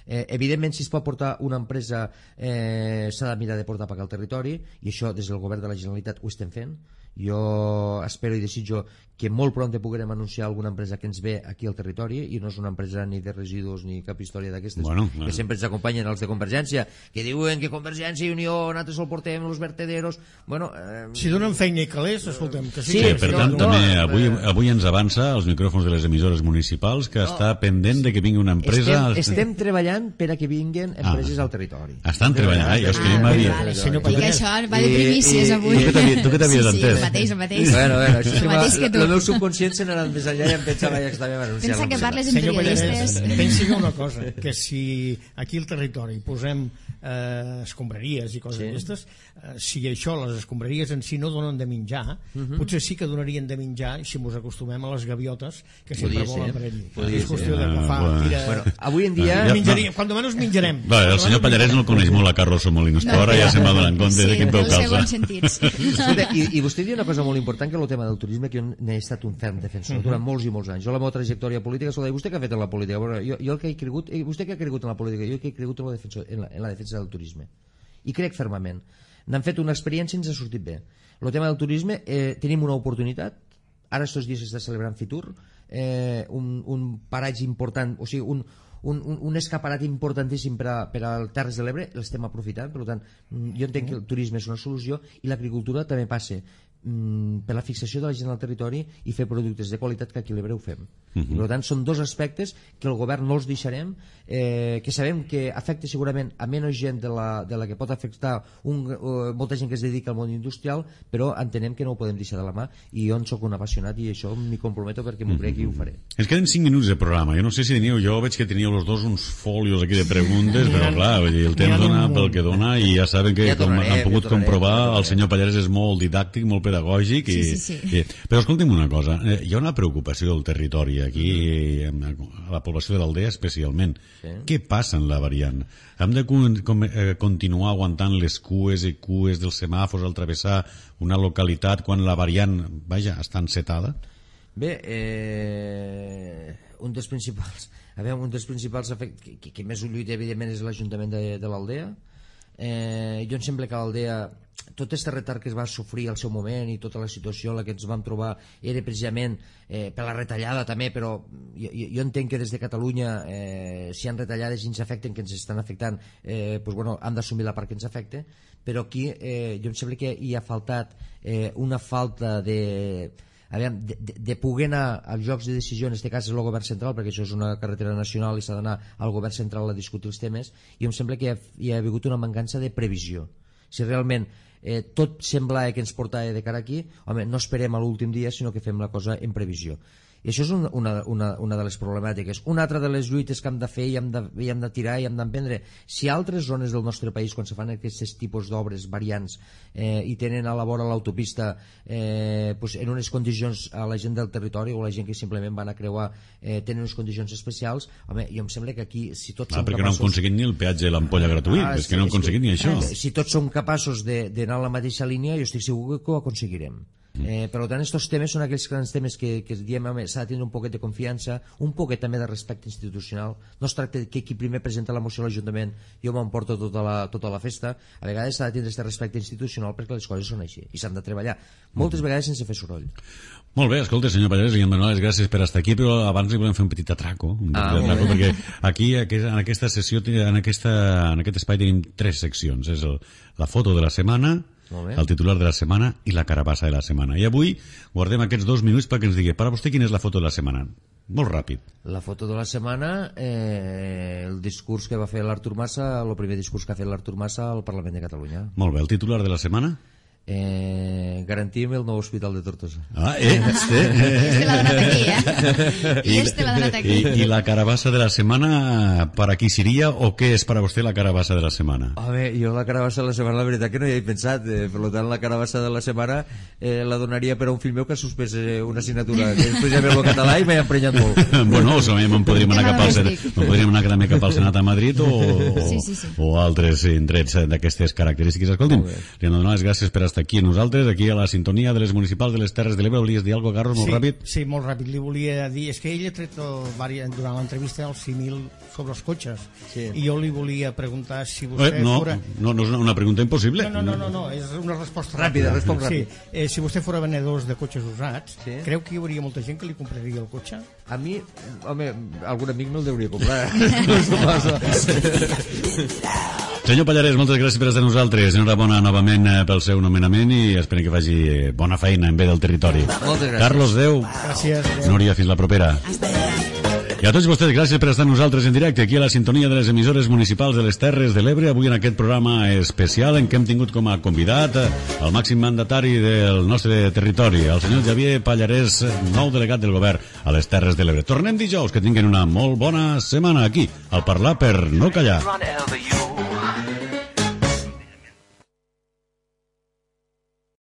Eh, evidentment, si es pot portar una empresa, eh, s'ha de mirar de portar per al territori, i això des del govern de la Generalitat ho estem fent. Jo espero i desitjo que molt pront puguem anunciar alguna empresa que ens ve aquí al territori, i no és una empresa ni de residus ni cap història d'aquestes, bueno, que bueno. sempre ens acompanyen els de Convergència, que diuen que Convergència i Unió nosaltres el portem els vertederos. Bueno, eh... si donen feina i calés, escoltem, que sí. Sí, que per sí, tant, no, també no, avui, eh, avui ens avança als micròfons de les emissores municipals que no. està pendent de que vingui una empresa... Estem, estem treballant per a que vinguin empreses ah, al territori. Estan treballant, ai, és que ah, jo m'ha dit... Vale. Senyor Que Pallarès. això va de primícies avui. Tu que t'havies sí, sí, entès. el mateix, el mateix. Bueno, bueno, això el mateix que tu. el meu subconscient se n'ha anat més enllà i em pensava ja que estàvem anunciant. Pensa que parles amb Senyor periodistes. Pallarès, pensi una cosa, que si aquí al territori posem eh, escombraries i coses Sí. d'aquestes, eh, si això, les escombraries en si no donen de menjar, Mhm. potser sí que donarien de menjar si ens acostumem a les gaviotes que sempre Podria volen ser, per allí. podria És qüestió ser. d'agafar, Ah, tira... Bueno, avui en dia... Ja, Menjaríem, quan menys menjarem. Va, el senyor Pallarès no el coneix molt, a Carlos Molinos, però ara ja se'n va donant compte sí, de quin peu dels calça. segons sentits. Escolta, i, i vostè diu una cosa molt important, que és el tema del turisme, que jo n'he estat un ferm defensor durant molts i molts anys. Jo la meva trajectòria política, escolta, i vostè què ha fet en la política? Bueno, jo, jo el que he cregut, eh, vostè què ha cregut en la política? Jo que he cregut en la, defensa, en, la, en la defensa del turisme. I crec fermament. N'han fet una experiència i ens ha sortit bé. El tema del turisme, eh, tenim una oportunitat. Ara estos dies s'està celebrant Fitur, eh, un, un paratge important, o sigui, un, un, un, un escaparat importantíssim per a, per al Terres de l'Ebre, l'estem aprofitant. Per tant, jo entenc que el turisme és una solució, i l'agricultura també passa mm, per la fixació de la gent al territori i fer productes de qualitat, que aquí a l'Ebre ho fem. Uh -huh. I, per tant, són dos aspectes que el govern no els deixarem, eh, que sabem que afecta segurament a menys gent de la, de la que pot afectar un, uh, molta gent que es dedica al món industrial, però entenem que no ho podem deixar de la mà, i jo en soc un apassionat i això m'hi comprometo perquè m'ho crec i ho faré. Ens queden cinc minuts de programa. Jo no sé si teníeu, jo veig que teníeu els dos uns folios aquí de preguntes, però clar, vull dir, el temps dona pel que dona, i ja saben que, Ja com tornarem, han pogut ja tornarem, comprovar, ja tornarem. el senyor Pallarès és molt didàctic, molt pedagògic, i, Sí, sí, sí. i, però escolti'm una cosa, eh, hi ha una preocupació del territori aquí, a la població de l'Aldea especialment. Sí. Què passa en la variant? Hem de con, com, eh, continuar aguantant les cues i cues dels semàfors al travessar una localitat quan la variant, vaja, està encetada? Bé, eh, un dels principals, a veure, un dels principals efectes, que, que, que més ho lluita evidentment és l'Ajuntament de, de l'Aldea. Eh, jo em sembla que l'Aldea, tot aquest retard que es va sofrir al seu moment i tota la situació en la que ens vam trobar era precisament eh, per la retallada també, però jo, jo entenc que des de Catalunya eh, si hi ha retallades i ens afecten, que ens estan afectant, eh, pues, bueno, hem d'assumir la part que ens afecta, però aquí eh, jo em sembla que hi ha faltat eh, una falta de... Aviam, de, de, de poder anar als jocs de decisió, en aquest cas és el govern central, perquè això és una carretera nacional i s'ha d'anar al govern central a discutir els temes, i em sembla que hi ha, hi ha hagut una mancança de previsió. Si realment eh, tot sembla que ens portava de cara aquí, home, no esperem a l'últim dia, sinó que fem la cosa en previsió. I això és una, una, una, una de les problemàtiques. Una altra de les lluites que hem de fer i hem de, i hem de tirar i hem d'emprendre. Si altres zones del nostre país, quan se fan aquests tipus d'obres variants eh, i tenen a la vora l'autopista eh, pues en unes condicions a la gent del territori o la gent que simplement van a creuar eh, tenen unes condicions especials, home, jo em sembla que aquí, si tots Ah, som perquè capaços... no han aconseguit ni el peatge de l'ampolla gratuït, Ah, és sí, que no han és aconseguit que- ni això. Eh, si tots som capaços d'anar a la mateixa línia, jo estic segur que ho aconseguirem. Eh, per tant, aquests temes són aquells grans temes que, que diem, home, s'ha de tindre un poquet de confiança, un poquet també de respecte institucional. No es tracta que qui primer presenta la moció a l'Ajuntament jo m'emporto tota la, tota la festa. A vegades s'ha de tindre aquest respecte institucional perquè les coses són així i s'han de treballar moltes vegades sense fer soroll. Molt bé, escolta, senyor Pallarès, li hem donat les gràcies per estar aquí, però abans li volem fer un petit atraco, un Ah, petit molt atraco bé. perquè aquí, en aquesta sessió, en, aquesta, en aquest espai tenim tres seccions. És el, la foto de la setmana, Molt bé. el titular de la setmana i la carabassa de la setmana. I avui guardem aquests dos minuts perquè ens digui, per a vostè, quina és la foto de la setmana? Molt ràpid. La foto de la setmana, eh, el discurs que va fer l'Artur Mas, el primer discurs que ha fet l'Artur Mas al Parlament de Catalunya. Molt bé, el titular de la setmana? Eh, garantim el nou hospital de Tortosa. Ah, eh, sí. Este l'ha donat aquí, eh? I este l'ha donat aquí. I, I la carabassa de la setmana, per a qui seria o què és per a vostè la carabassa de la setmana? Home, jo la carabassa de la setmana, la veritat que no hi he pensat, eh, per tant la carabassa de la setmana eh, la donaria per a un fill meu que ha suspès eh, una assignatura, que és precisament el català i m'he emprenyat molt. Bueno, o sigui, me'n podríem anar cap al Senat, me'n podríem anar també cap al Senat a Madrid o, o, Sí, sí, sí. o altres indrets d'aquestes característiques. Escolti'm, Molt bé. li hem de donar les gràcies per estar està aquí amb nosaltres, aquí a la sintonia de les municipals de les Terres de l'Ebre. Volies dir alguna cosa, Carlos, molt sí, ràpid? Sí, molt ràpid. Li volia dir... És que ell ha tret el, durant l'entrevista el símil sobre els cotxes. Sí. I jo li volia preguntar si vostè eh, no, fora... No, no és una, una pregunta impossible. No, no, no, no, no, és una resposta ràpida. ràpida. Respon ràpid. Sí. Eh, si vostè fora venedors de cotxes usats, sí. creu que hi hauria molta gent que li compraria el cotxe? A mi, home, algun amic me'l deuria comprar. Senyor Pallarès, moltes gràcies per estar amb nosaltres. Enhorabona novament pel seu nomenament i esperem que faci bona feina en bé del territori. Moltes gràcies. Carlos, adeu. Gràcies. Adeu. Núria, fins la propera. Hasta luego. I a tots vostès, gràcies per estar amb nosaltres en directe aquí a la sintonia de les emissores municipals de les Terres de l'Ebre, avui en aquest programa especial en què hem tingut com a convidat el màxim mandatari del nostre territori, el senyor Xavier Pallarès, nou delegat del govern a les Terres de l'Ebre. Tornem dijous, que tinguin una molt bona setmana aquí, al Parlar per no callar.